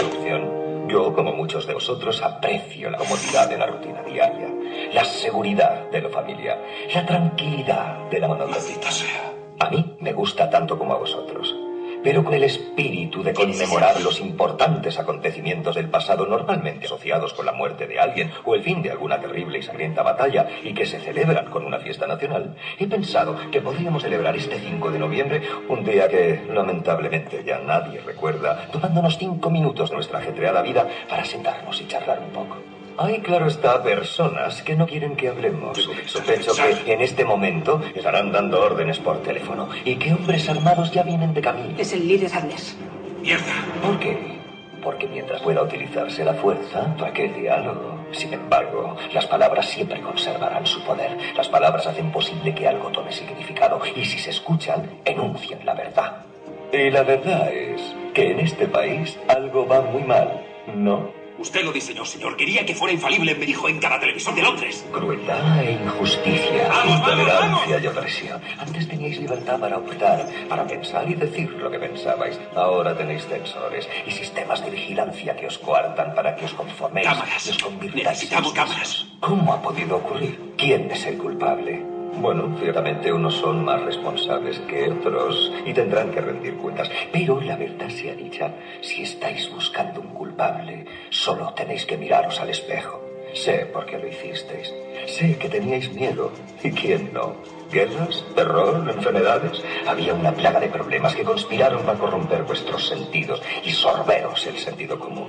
Yo, como muchos de vosotros, aprecio la comodidad de la rutina diaria, la seguridad de la familia, la tranquilidad de la monotonía. A mí me gusta tanto como a vosotros, pero con el espíritu de conmemorar los importantes acontecimientos del pasado normalmente asociados con la muerte de alguien o el fin de alguna terrible y sangrienta batalla y que se celebran con una fiesta nacional, he pensado que podríamos celebrar este cinco de noviembre, un día que lamentablemente ya nadie recuerda, tomándonos cinco minutos de nuestra ajetreada vida para sentarnos y charlar un poco. Hay, claro está, personas que no quieren que hablemos. Sospecho que en este momento estarán dando órdenes por teléfono y que hombres armados ya vienen de camino. Es el líder Arles. ¡Mierda! ¿Por qué? Porque mientras pueda utilizarse la fuerza, ¿para qué diálogo? Sin embargo, las palabras siempre conservarán su poder. Las palabras hacen posible que algo tome significado y si se escuchan, enuncian la verdad. Y la verdad es que en este país algo va muy mal, ¿no? Usted lo diseñó, señor. Quería que fuera infalible, me dijo en cada televisor de Londres. Crueldad e injusticia, ¡Vamos, intolerancia vamos, vamos! y opresión. Antes teníais libertad para optar, para pensar y decir lo que pensabais. Ahora tenéis censores y sistemas de vigilancia que os coartan para que os conforméis. Cámaras. Y os convirtáis Necesitamos en cámaras. ¿Cómo ha podido ocurrir? ¿Quién es el culpable? Bueno, ciertamente unos son más responsables que otros y tendrán que rendir cuentas. Pero la verdad sea dicha, si estáis buscando un culpable, solo tenéis que miraros al espejo. Sé por qué lo hicisteis. Sé que teníais miedo. ¿Y quién no? ¿Guerras? ¿Terror? ¿Enfermedades? Había una plaga de problemas que conspiraron para corromper vuestros sentidos y sorberos el sentido común.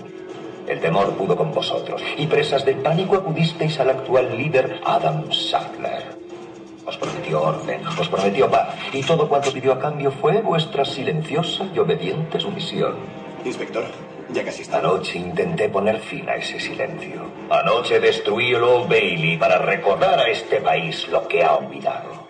El temor pudo con vosotros y presas del pánico acudisteis al actual líder Adam Sackler. Os prometió orden, os prometió paz, y todo cuanto pidió a cambio fue vuestra silenciosa y obediente sumisión. Inspector, ya casi está. Anoche intenté poner fin a ese silencio. Anoche destruí el Old Bailey para recordar a este país lo que ha olvidado.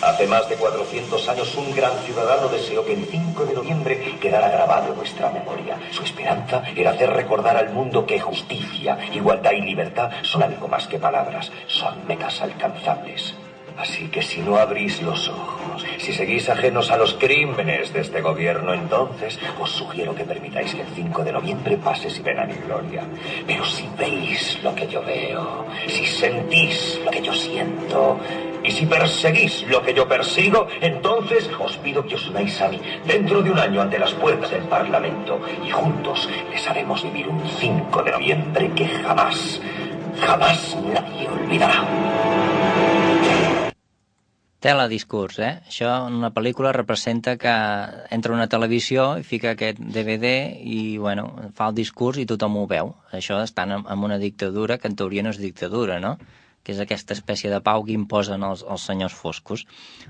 Hace más de cuatrocientos años un gran ciudadano deseó que el cinco de noviembre quedara grabado en nuestra memoria. Su esperanza era hacer recordar al mundo que justicia, igualdad y libertad son algo más que palabras, son metas alcanzables. Así que si no abrís los ojos, si seguís ajenos a los crímenes de este gobierno, entonces os sugiero que permitáis que el cinco de noviembre pase sin pena ni gloria. Pero si veis lo que yo veo, si sentís lo que yo siento, y si perseguís lo que yo persigo, entonces os pido que os unáis a mí dentro de un año ante las puertas del Parlamento y juntos les haremos vivir un cinco de noviembre que jamás, jamás nadie olvidará. telediscurs, eh? Això en una pel·lícula representa que entra una televisió i fica aquest D V D i, bueno, fa el discurs i tothom ho veu. Això estan en una dictadura que en teoria no és dictadura, no? Que és aquesta espècie de pau que imposen els, els senyors foscos.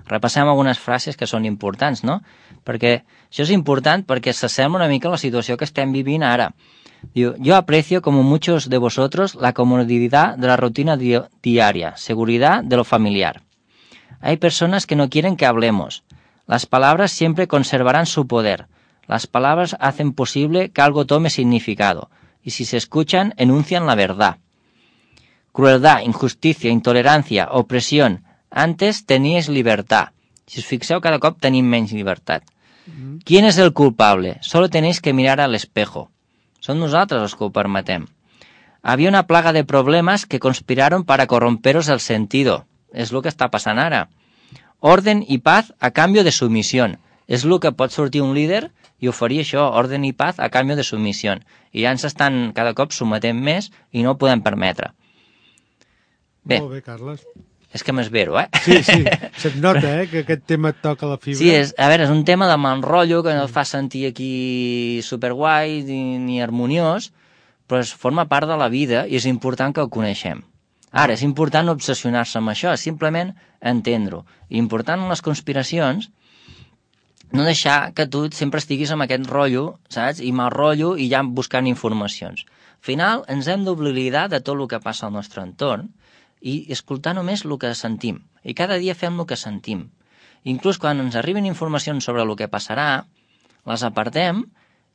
Repassem algunes frases que són importants, no? Perquè això és important perquè s'assembla una mica a la situació que estem vivint ara. Diu, yo aprecio como muchos de vosotros la comodidad de la rutina di diaria, seguridad de lo familiar. Hay personas que no quieren que hablemos. Las palabras siempre conservarán su poder. Las palabras hacen posible que algo tome significado. Y si se escuchan, enuncian la verdad. Crueldad, injusticia, intolerancia, opresión. Antes teníais libertad. Si os fixeu, cada cop tenim menys llibertat. Mm-hmm. ¿Quién es el culpable? Solo tenéis que mirar al espejo. Son nosaltres els que ho permetem. Había una plaga de problemas que conspiraron para corromperos el sentido. És el que està passant ara. Orden i paz a canvi de sumisión. És el que pot sortir un líder i oferir això, orden i paz a canvi de sumisión. I ja ens estan cada cop sometent més i no ho podem permetre. Bé, molt bé, Carles. És que m'esvero, eh? Sí, sí, se't nota, eh, que aquest tema et toca la fibra. Sí, és, a veure, és un tema de mal rotllo que no et fa sentir aquí superguai ni, ni harmoniós, però es forma part de la vida i és important que el coneixem. Ara, és important no obsessionar-se amb això, és simplement entendre-ho. I important en les conspiracions no deixar que tu sempre estiguis amb aquest rotllo, saps? I mal rotllo i ja buscant informacions. Al final, ens hem d'oblidar de tot el que passa al nostre entorn i escoltar només el que sentim. I cada dia fem el que sentim. Inclús quan ens arriben informacions sobre el que passarà, les apartem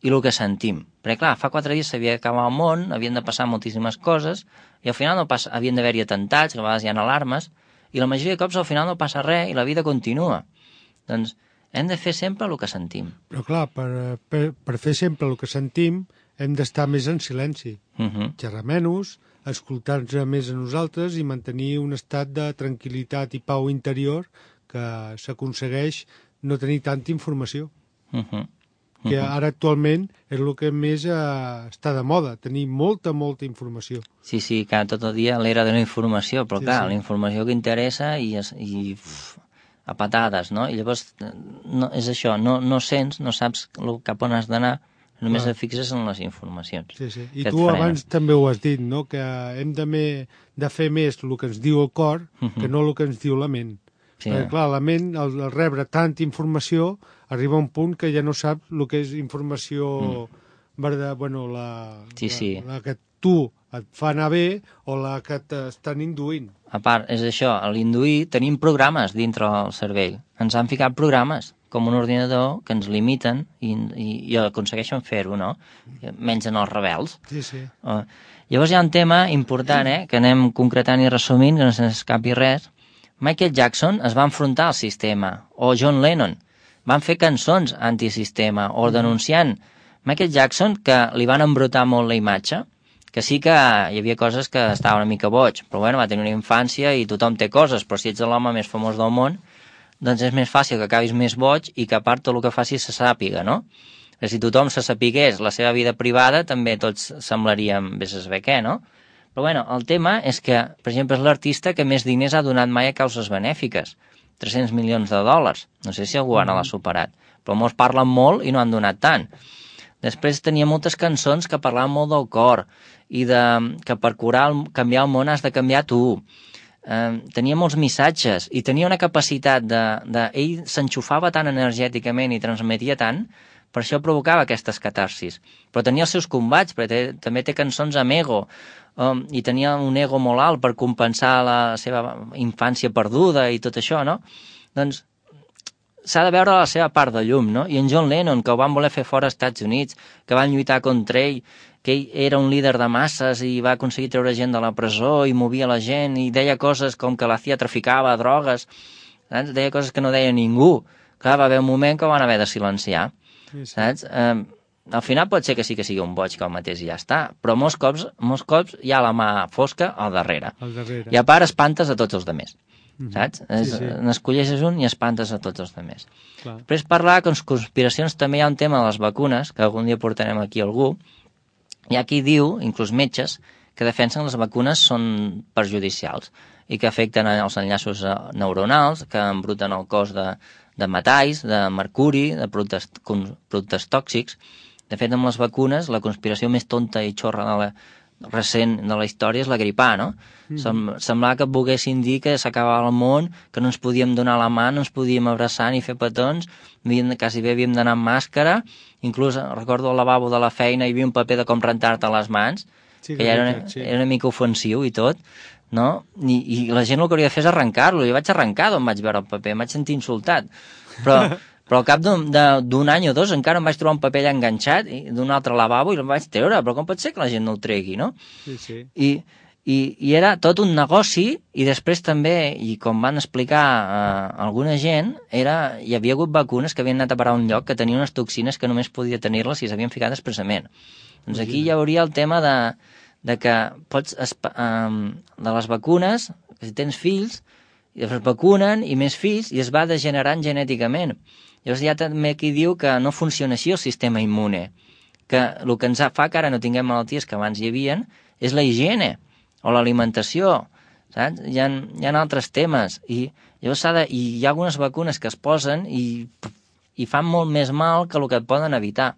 i el que sentim. Perquè, clar, fa quatre dies s'havia d'acabar el món, havien de passar moltíssimes coses, i al final no passa, havien d'haver-hi atentats, que a vegades hi ha alarmes, i la majoria de cops al final no passa res i la vida continua. Doncs hem de fer sempre el que sentim. Però, clar, per, per, per fer sempre el que sentim, hem d'estar més en silenci. Uh-huh. Xerrar menys, escoltar-nos més a nosaltres i mantenir un estat de tranquil·litat i pau interior que s'aconsegueix no tenir tanta informació. Uh-huh. Uh-huh. Que ara actualment és el que més eh, està de moda, tenir molta, molta informació. Sí, sí, que tot el dia l'era de la informació, però sí, clar, sí. La informació que interessa i, es, i uf, a patades, no? I llavors no, és això, no, no sents, no saps cap on has d'anar, només et fixes en les informacions. Sí, sí. I tu abans també ho has dit, no? Que hem de, me, de fer més el que ens diu el cor uh-huh. que no el que ens diu la ment. Sí. Perquè, clar, la ment, al, al rebre tanta informació, arriba a un punt que ja no sap el que és informació mm. verdad, bueno, la, sí, sí. la, la que tu et fa anar bé o la que t'estan induint. A part, és això, a l'induir tenim programes dintre el cervell. Ens han ficat programes com un ordinador que ens limiten i, i, i aconsegueixen fer-ho, no? Menys en els rebels. Sí, sí. Uh, llavors hi ha un tema important, eh, que anem concretant i resumint, que no se'ns escapi res. Michael Jackson es va enfrontar al sistema, o John Lennon van fer cançons antisistema, o denunciant Michael Jackson, que li van embrutar molt la imatge, que sí que hi havia coses que estava una mica boig, però bueno, va tenir una infància i tothom té coses, però si ets l'home més famós del món, doncs és més fàcil que acabis més boig i que a part tot el que facis se sàpiga, no? Si tothom se sapigués la seva vida privada, també tots semblaríem vés a saber què, no? Però bueno, el tema és que, per exemple, és l'artista que més diners ha donat mai a causes benèfiques. tres-cents milions de dòlars. No sé si algú ara l'ha superat. Però molts parlen molt i no han donat tant. Després tenia moltes cançons que parlaven molt del cor i de, que per curar, el, canviar el món has de canviar tu. Eh, tenia molts missatges i tenia una capacitat de... de ell s'enxufava tan energèticament i transmetia tant, per això provocava aquestes catarsis. Però tenia els seus combats, perquè té, també té cançons amb ego, um, i tenia un ego molt alt per compensar la seva infància perduda i tot això, no? Doncs s'ha de veure la seva part de llum, no? I en John Lennon, que ho van voler fer fora als Estats Units, que van lluitar contra ell, que ell era un líder de masses i va aconseguir treure gent de la presó i movia la gent i deia coses com que la C I A traficava drogues, saps? Deia coses que no deia ningú. Clar, va haver un moment que ho van haver de silenciar. Sí, sí. Saps? Eh, al final pot ser que sí que sigui un boig que el mateix i ja està, però molts cops, molts cops hi ha la mà fosca al darrere. Al darrere. I a part espantes a tots els altres. Mm-hmm. Saps? Sí, sí. N'escolleixes un i espantes a tots els altres. Clar. Després parlar de conspiracions també hi ha un tema de les vacunes, que algun dia portarem aquí algú. Hi ha qui diu, inclús metges, que defensen les vacunes són perjudicials i que afecten els enllaços neuronals, que embruten el cos de, de metalls, de mercuri, de productes, productes tòxics. De fet, amb les vacunes, la conspiració més tonta i xorra de la, recent de la història és la gripà, no? Mm. Sem semblava que volguessin dir que s'acabava el món, que no ens podíem donar la mà, no ens podíem abraçar ni fer petons, havíem, quasi bé havíem d'anar amb màscara, inclús recordo al lavabo de la feina hi havia un paper de com rentar-te les mans, sí, que ja era una, sí. era una mica ofensiu i tot, no? I, i la gent el que hauria de fer és arrencar-lo. Jo vaig arrencar d'on vaig veure el paper, em vaig sentir insultat, però, però al cap d'un any o dos encara em vaig trobar un paper allà enganxat d'un altre lavabo i el vaig treure, però com pot ser que la gent no el tregui, no? Sí, sí. I, i, i era tot un negoci, i després també, i com van explicar eh, alguna gent, era, hi havia hagut vacunes que havien anat a parar a un lloc que tenien unes toxines que només podia tenir-les si s'havien ficat expressament. Doncs aquí hi hauria el tema de de que pots, um, de les vacunes, que si tens fills, i es vacunen, i més fills, i es va degenerant genèticament. Llavors hi ha també qui diu que no funciona així el sistema immune, que el que ens fa que ara no tinguem malalties que abans hi havien és la higiene, o l'alimentació, saps? Hi ha, hi ha altres temes, i llavors s'ha de, i hi ha algunes vacunes que es posen i, i fan molt més mal que el que et poden evitar.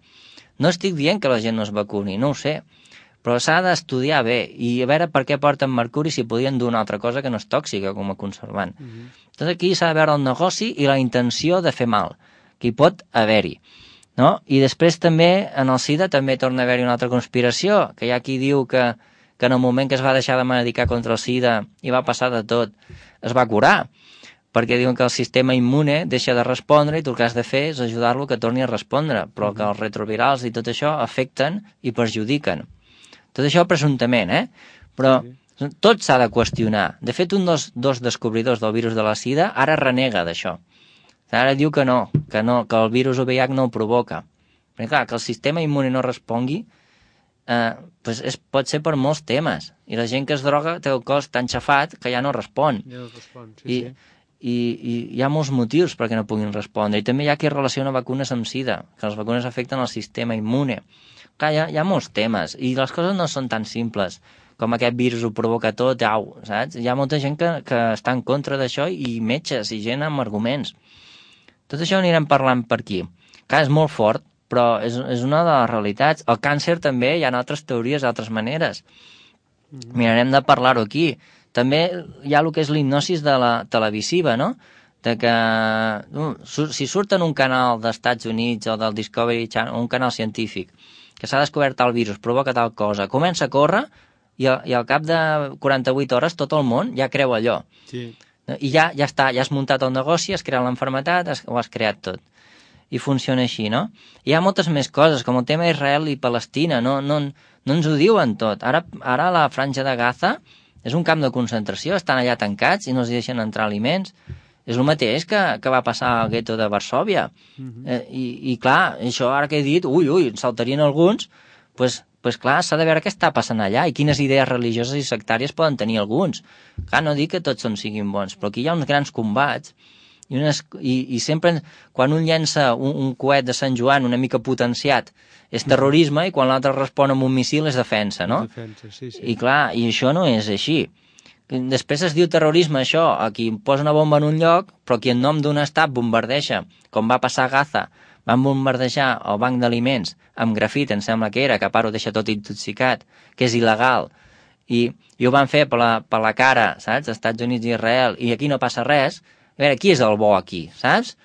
No estic dient que la gent no es vacuni, no ho sé, però s'ha d'estudiar bé i a veure per què porten mercuri si podien dur una altra cosa que no és tòxica com a conservant. Uh -huh. Tot aquí s'ha de veure el negoci i la intenció de fer mal, que hi pot haver-hi. No? I després també, en el SIDA, també torna a haver-hi una altra conspiració, que hi ha qui diu que, que en el moment que es va deixar de medicar contra el SIDA i va passar de tot, es va curar, perquè diuen que el sistema immune deixa de respondre i tu el que has de fer és ajudar-lo que torni a respondre, però uh -huh. que els retrovirals i tot això afecten i perjudiquen. Tot això presumptament, eh? Però sí. tot s'ha de qüestionar. De fet, un dels dos descobridors del virus de la SIDA ara renega d'això. Ara diu que no, que no, que el virus O V I H no el provoca. Perquè clar, que el sistema immune no respongui eh, pues és, pot ser per molts temes. I la gent que es droga té el cos tan xafat que ja no respon. Ja no respon, sí, I, sí. I, I hi ha molts motius perquè no puguin respondre. I també hi ha qui relaciona vacunes amb SIDA, que les vacunes afecten el sistema immune. Clar, hi ha, hi ha molts temes, i les coses no són tan simples, com aquest virus ho provoca tot, au, saps? Hi ha molta gent que, que està en contra d'això, i metges, i gent amb arguments. Tot això anirem parlant per aquí. Clar, és molt fort, però és, és una de les realitats. El càncer també, hi ha altres teories, altres maneres. Mm-hmm. Mirarem de parlar-ho aquí. També hi ha el que és l'hipnosis de la televisiva, no? De que uh, si surt en un canal dels Estats Units o del Discovery Channel, un canal científic, que s'ha descobert tal virus, provoca tal cosa, comença a córrer i, a, i al cap de quaranta-vuit hores tot el món ja creu allò. Sí. I ja, ja està, ja has muntat el negoci, has creat l'enfermetat, has, ho has creat tot. I funciona així, no? Hi ha moltes més coses, com el tema d'Israel i Palestina, no, no, no ens ho diuen tot. Ara, ara la franja de Gaza és un camp de concentració, estan allà tancats i no els deixen entrar aliments. És el mateix que, que va passar al gueto de Varsòvia. Uh-huh. eh, i, I clar, això ara que he dit, ui, ui, en saltarien alguns, pues, pues clar, s'ha de veure què està passant allà i quines idees religioses i sectàries poden tenir alguns. Clar, no dic que tots són siguin bons, però aquí hi ha uns grans combats i, unes, i, i sempre quan un llença un, un coet de Sant Joan una mica potenciat és terrorisme, uh-huh. i quan l'altre respon amb un missil és defensa, no? Defensa, sí, sí. I clar, i això no és així. Després es diu terrorisme això, a qui posa una bomba en un lloc, però qui en nom d'un estat bombardeja, com va passar a Gaza, van bombardejar el banc d'aliments amb grafit, em sembla que era, que a part ho deixa tot intoxicat, que és il·legal, i, i ho van fer per la, per la cara, saps?, Estats Units i Israel, i aquí no passa res. A veure, qui és el bo aquí, saps?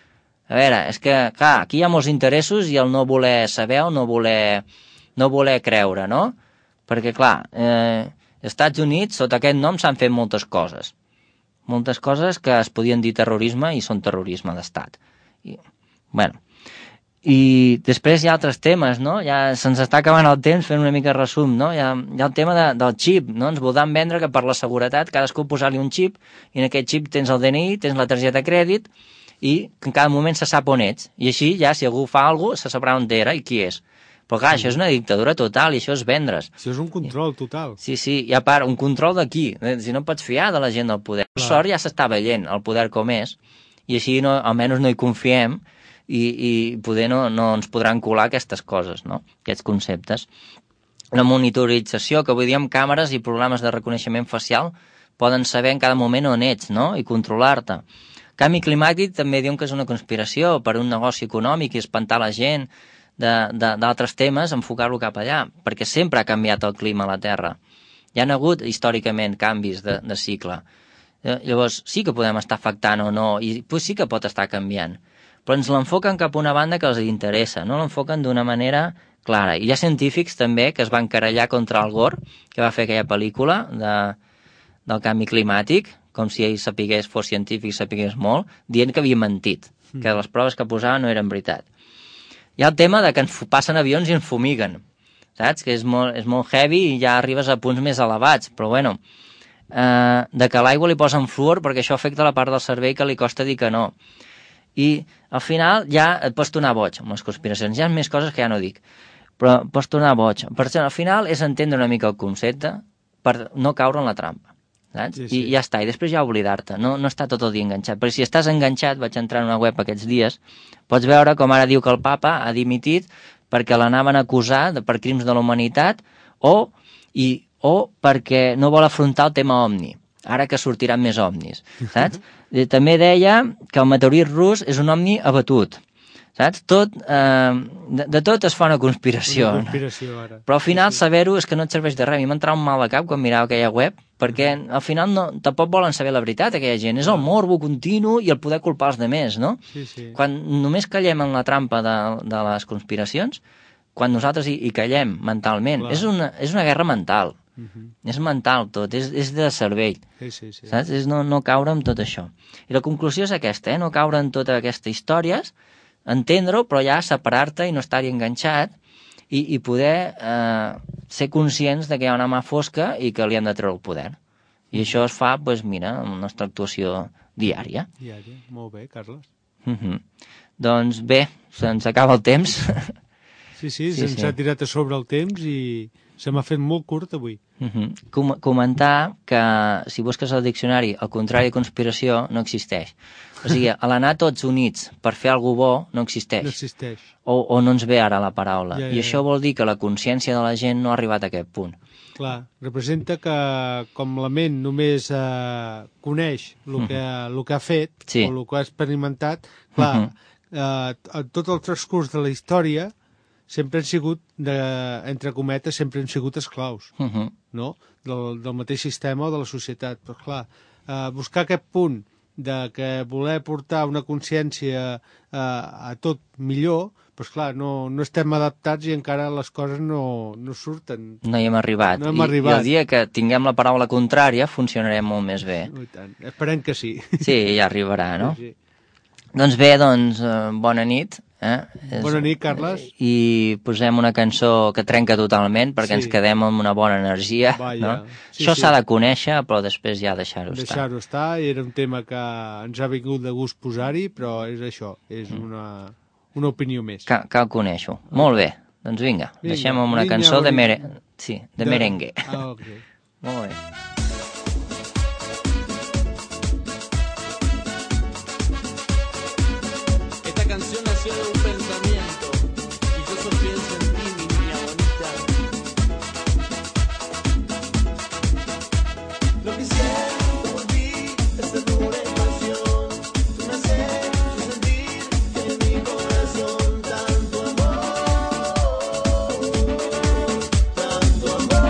A veure, és que, clar, aquí hi ha molts interessos i el no voler saber o no voler, no voler creure, no? Perquè, clar, eh, als Estats Units, sota aquest nom, s'han fet moltes coses. Moltes coses que es podien dir terrorisme i són terrorisme d'estat. I, bueno, i després hi ha altres temes, no? Ja se'ns està acabant el temps fent una mica resum, no? Hi ha, hi ha el tema de, del xip, no? Ens voldran vendre que per la seguretat cadascú posar-li un xip i en aquest xip tens el D N I, tens la targeta de crèdit i que en cada moment se sap on ets. I així ja, si algú fa alguna cosa, se sabrà on era i qui és. Però clar, això és una dictadura total i això és vendre's. Això és un control total. Sí, sí, i a part, un control d'aquí. Si no pots fiar de la gent del poder. Per sort ja s'està veient el poder com és i així no, almenys no hi confiem i, i poder no, no ens podran colar aquestes coses, no? Aquests conceptes. la monitorització, que avui dia amb càmeres i programes de reconeixement facial poden saber en cada moment on ets, no?, i controlar-te. Canvi climàtic també diuen que és una conspiració per un negoci econòmic i espantar la gent d'altres temes, enfocar-lo cap allà, perquè sempre ha canviat el clima a la Terra. Hi ha hagut històricament canvis de, de cicle. Llavors sí que podem estar afectant o no, i pues sí que pot estar canviant, però ens l'enfoquen cap a una banda que els interessa, no l'enfoquen d'una manera clara. I hi ha científics també que es van querellar contra Al Gore, que va fer aquella pel·lícula de, del canvi climàtic, com si ell sapigués, fos científic, sapigués molt, dient que havia mentit, que les proves que posava no eren veritat. Hi ha el tema de que ens passen avions i ens fumiguen, saps? Que és molt, és molt heavy i ja arribes a punts més elevats, però bueno, eh, de que a l'aigua li posen fluor perquè això afecta la part del cervell que li costa dir que no. I al final ja et pots tornar boig amb les conspiracions. Hi ha més coses que ja no dic, però pots tornar boig. Per això, al final és entendre una mica el concepte per no caure en la trampa, saps? Sí, sí. I ja està, i després ja oblidar-te, no, no està tot el dia enganxat. Perquè si estàs enganxat, vaig entrar en una web aquests dies, pots veure com ara diu que el papa ha dimitit perquè l'anaven a acusar de, per crims de la humanitat o, i, o perquè no vol afrontar el tema OVNI, ara que sortiran més OVNIs, saps? També deia que el meteorit rus és un OVNI abatut, saps? Tot, eh, de, de tot es fa una conspiració. Una conspiració ara. Però al final saber-ho és que no et serveix de res. A mi m'entrava un mal de cap quan mirava aquella web, perquè al final no, tampoc volen saber la veritat, aquella gent. És el morbo continu i el poder culpar els demés, no? Sí, sí. Quan només callem en la trampa de, de les conspiracions, quan nosaltres hi, hi callem mentalment, és una, és una guerra mental. Uh-huh. És mental tot, és, és de cervell. Sí, sí, sí. Saps? És no, no caure en tot això. I la conclusió és aquesta, eh? No caure en totes aquestes històries, entendre-ho, però ja separar-te i no estar-hi enganxat i, i poder eh, ser conscients de que hi ha una mà fosca i que li hem de treure el poder. I això es fa, doncs mira, amb la nostra actuació diària. Diària, molt bé, Carles. Uh-huh. Doncs bé, se'ns acaba el temps. Sí, sí, sí se'ns sí. ha tirat a sobre el temps i se m'ha fet molt curt avui. Uh-huh. Com comentar que si busques al diccionari el contrari de conspiració no existeix. O sigui, a l'anar tots units per fer alguna bo no existeix. No existeix. O, o no ens ve ara la paraula. Ja, ja, I això vol dir que la consciència de la gent no ha arribat a aquest punt. Clar, representa que com la ment només eh, coneix el que, uh-huh. el que ha fet sí. o el que ha experimentat, clar, uh-huh. eh, tot el transcurs de la història sempre han sigut, de, entre cometes, sempre han sigut esclaus, uh-huh. no? Del, del mateix sistema o de la societat. Però clar, eh, buscar aquest punt de que voler portar una consciència eh, a tot millor, doncs clar, no, no estem adaptats i encara les coses no, no surten. No hi hem arribat. No hem I, arribat. I el dia que tinguem la paraula contrària funcionarem molt més bé. I tant. Esperem que sí. Sí, ja arribarà, no? Sí, sí. Doncs bé, doncs, eh, bona nit. Eh? Bona nit, Carles. I posem una cançó que trenca totalment perquè sí. ens quedem amb una bona energia. No? Sí, Això s'ha sí. de conèixer, però després ja deixar-ho estar. Deixar-ho estar, era un tema que ens ha vingut de gust posar-hi, però és això, és mm. una, una opinió més. Cal, cal conèixer-ho. Molt bé, doncs vinga, vinga deixem amb una cançó de, mere... sí, de, de merengue. Ah, okay. Molt bé. Canción nació de un pensamiento y yo solo pienso en ti, mi niña bonita. Lo que siento por ti es ternura y pasión. Tú me haces sentir en mi corazón tanto amor, tanto amor.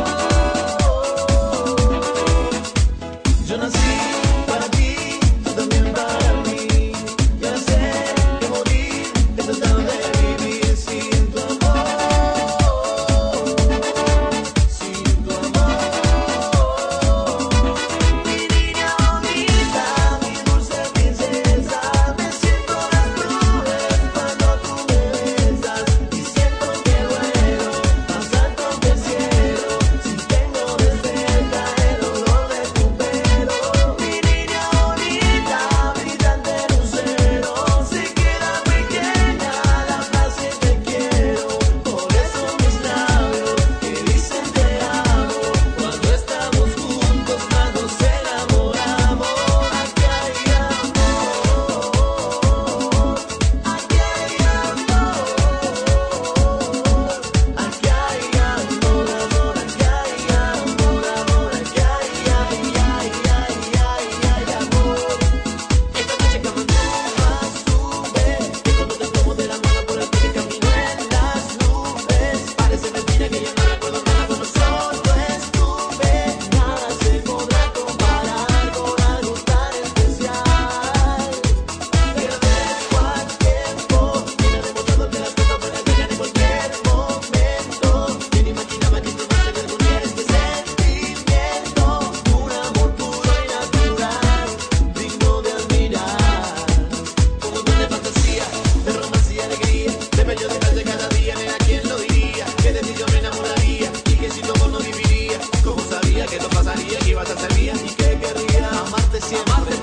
siempre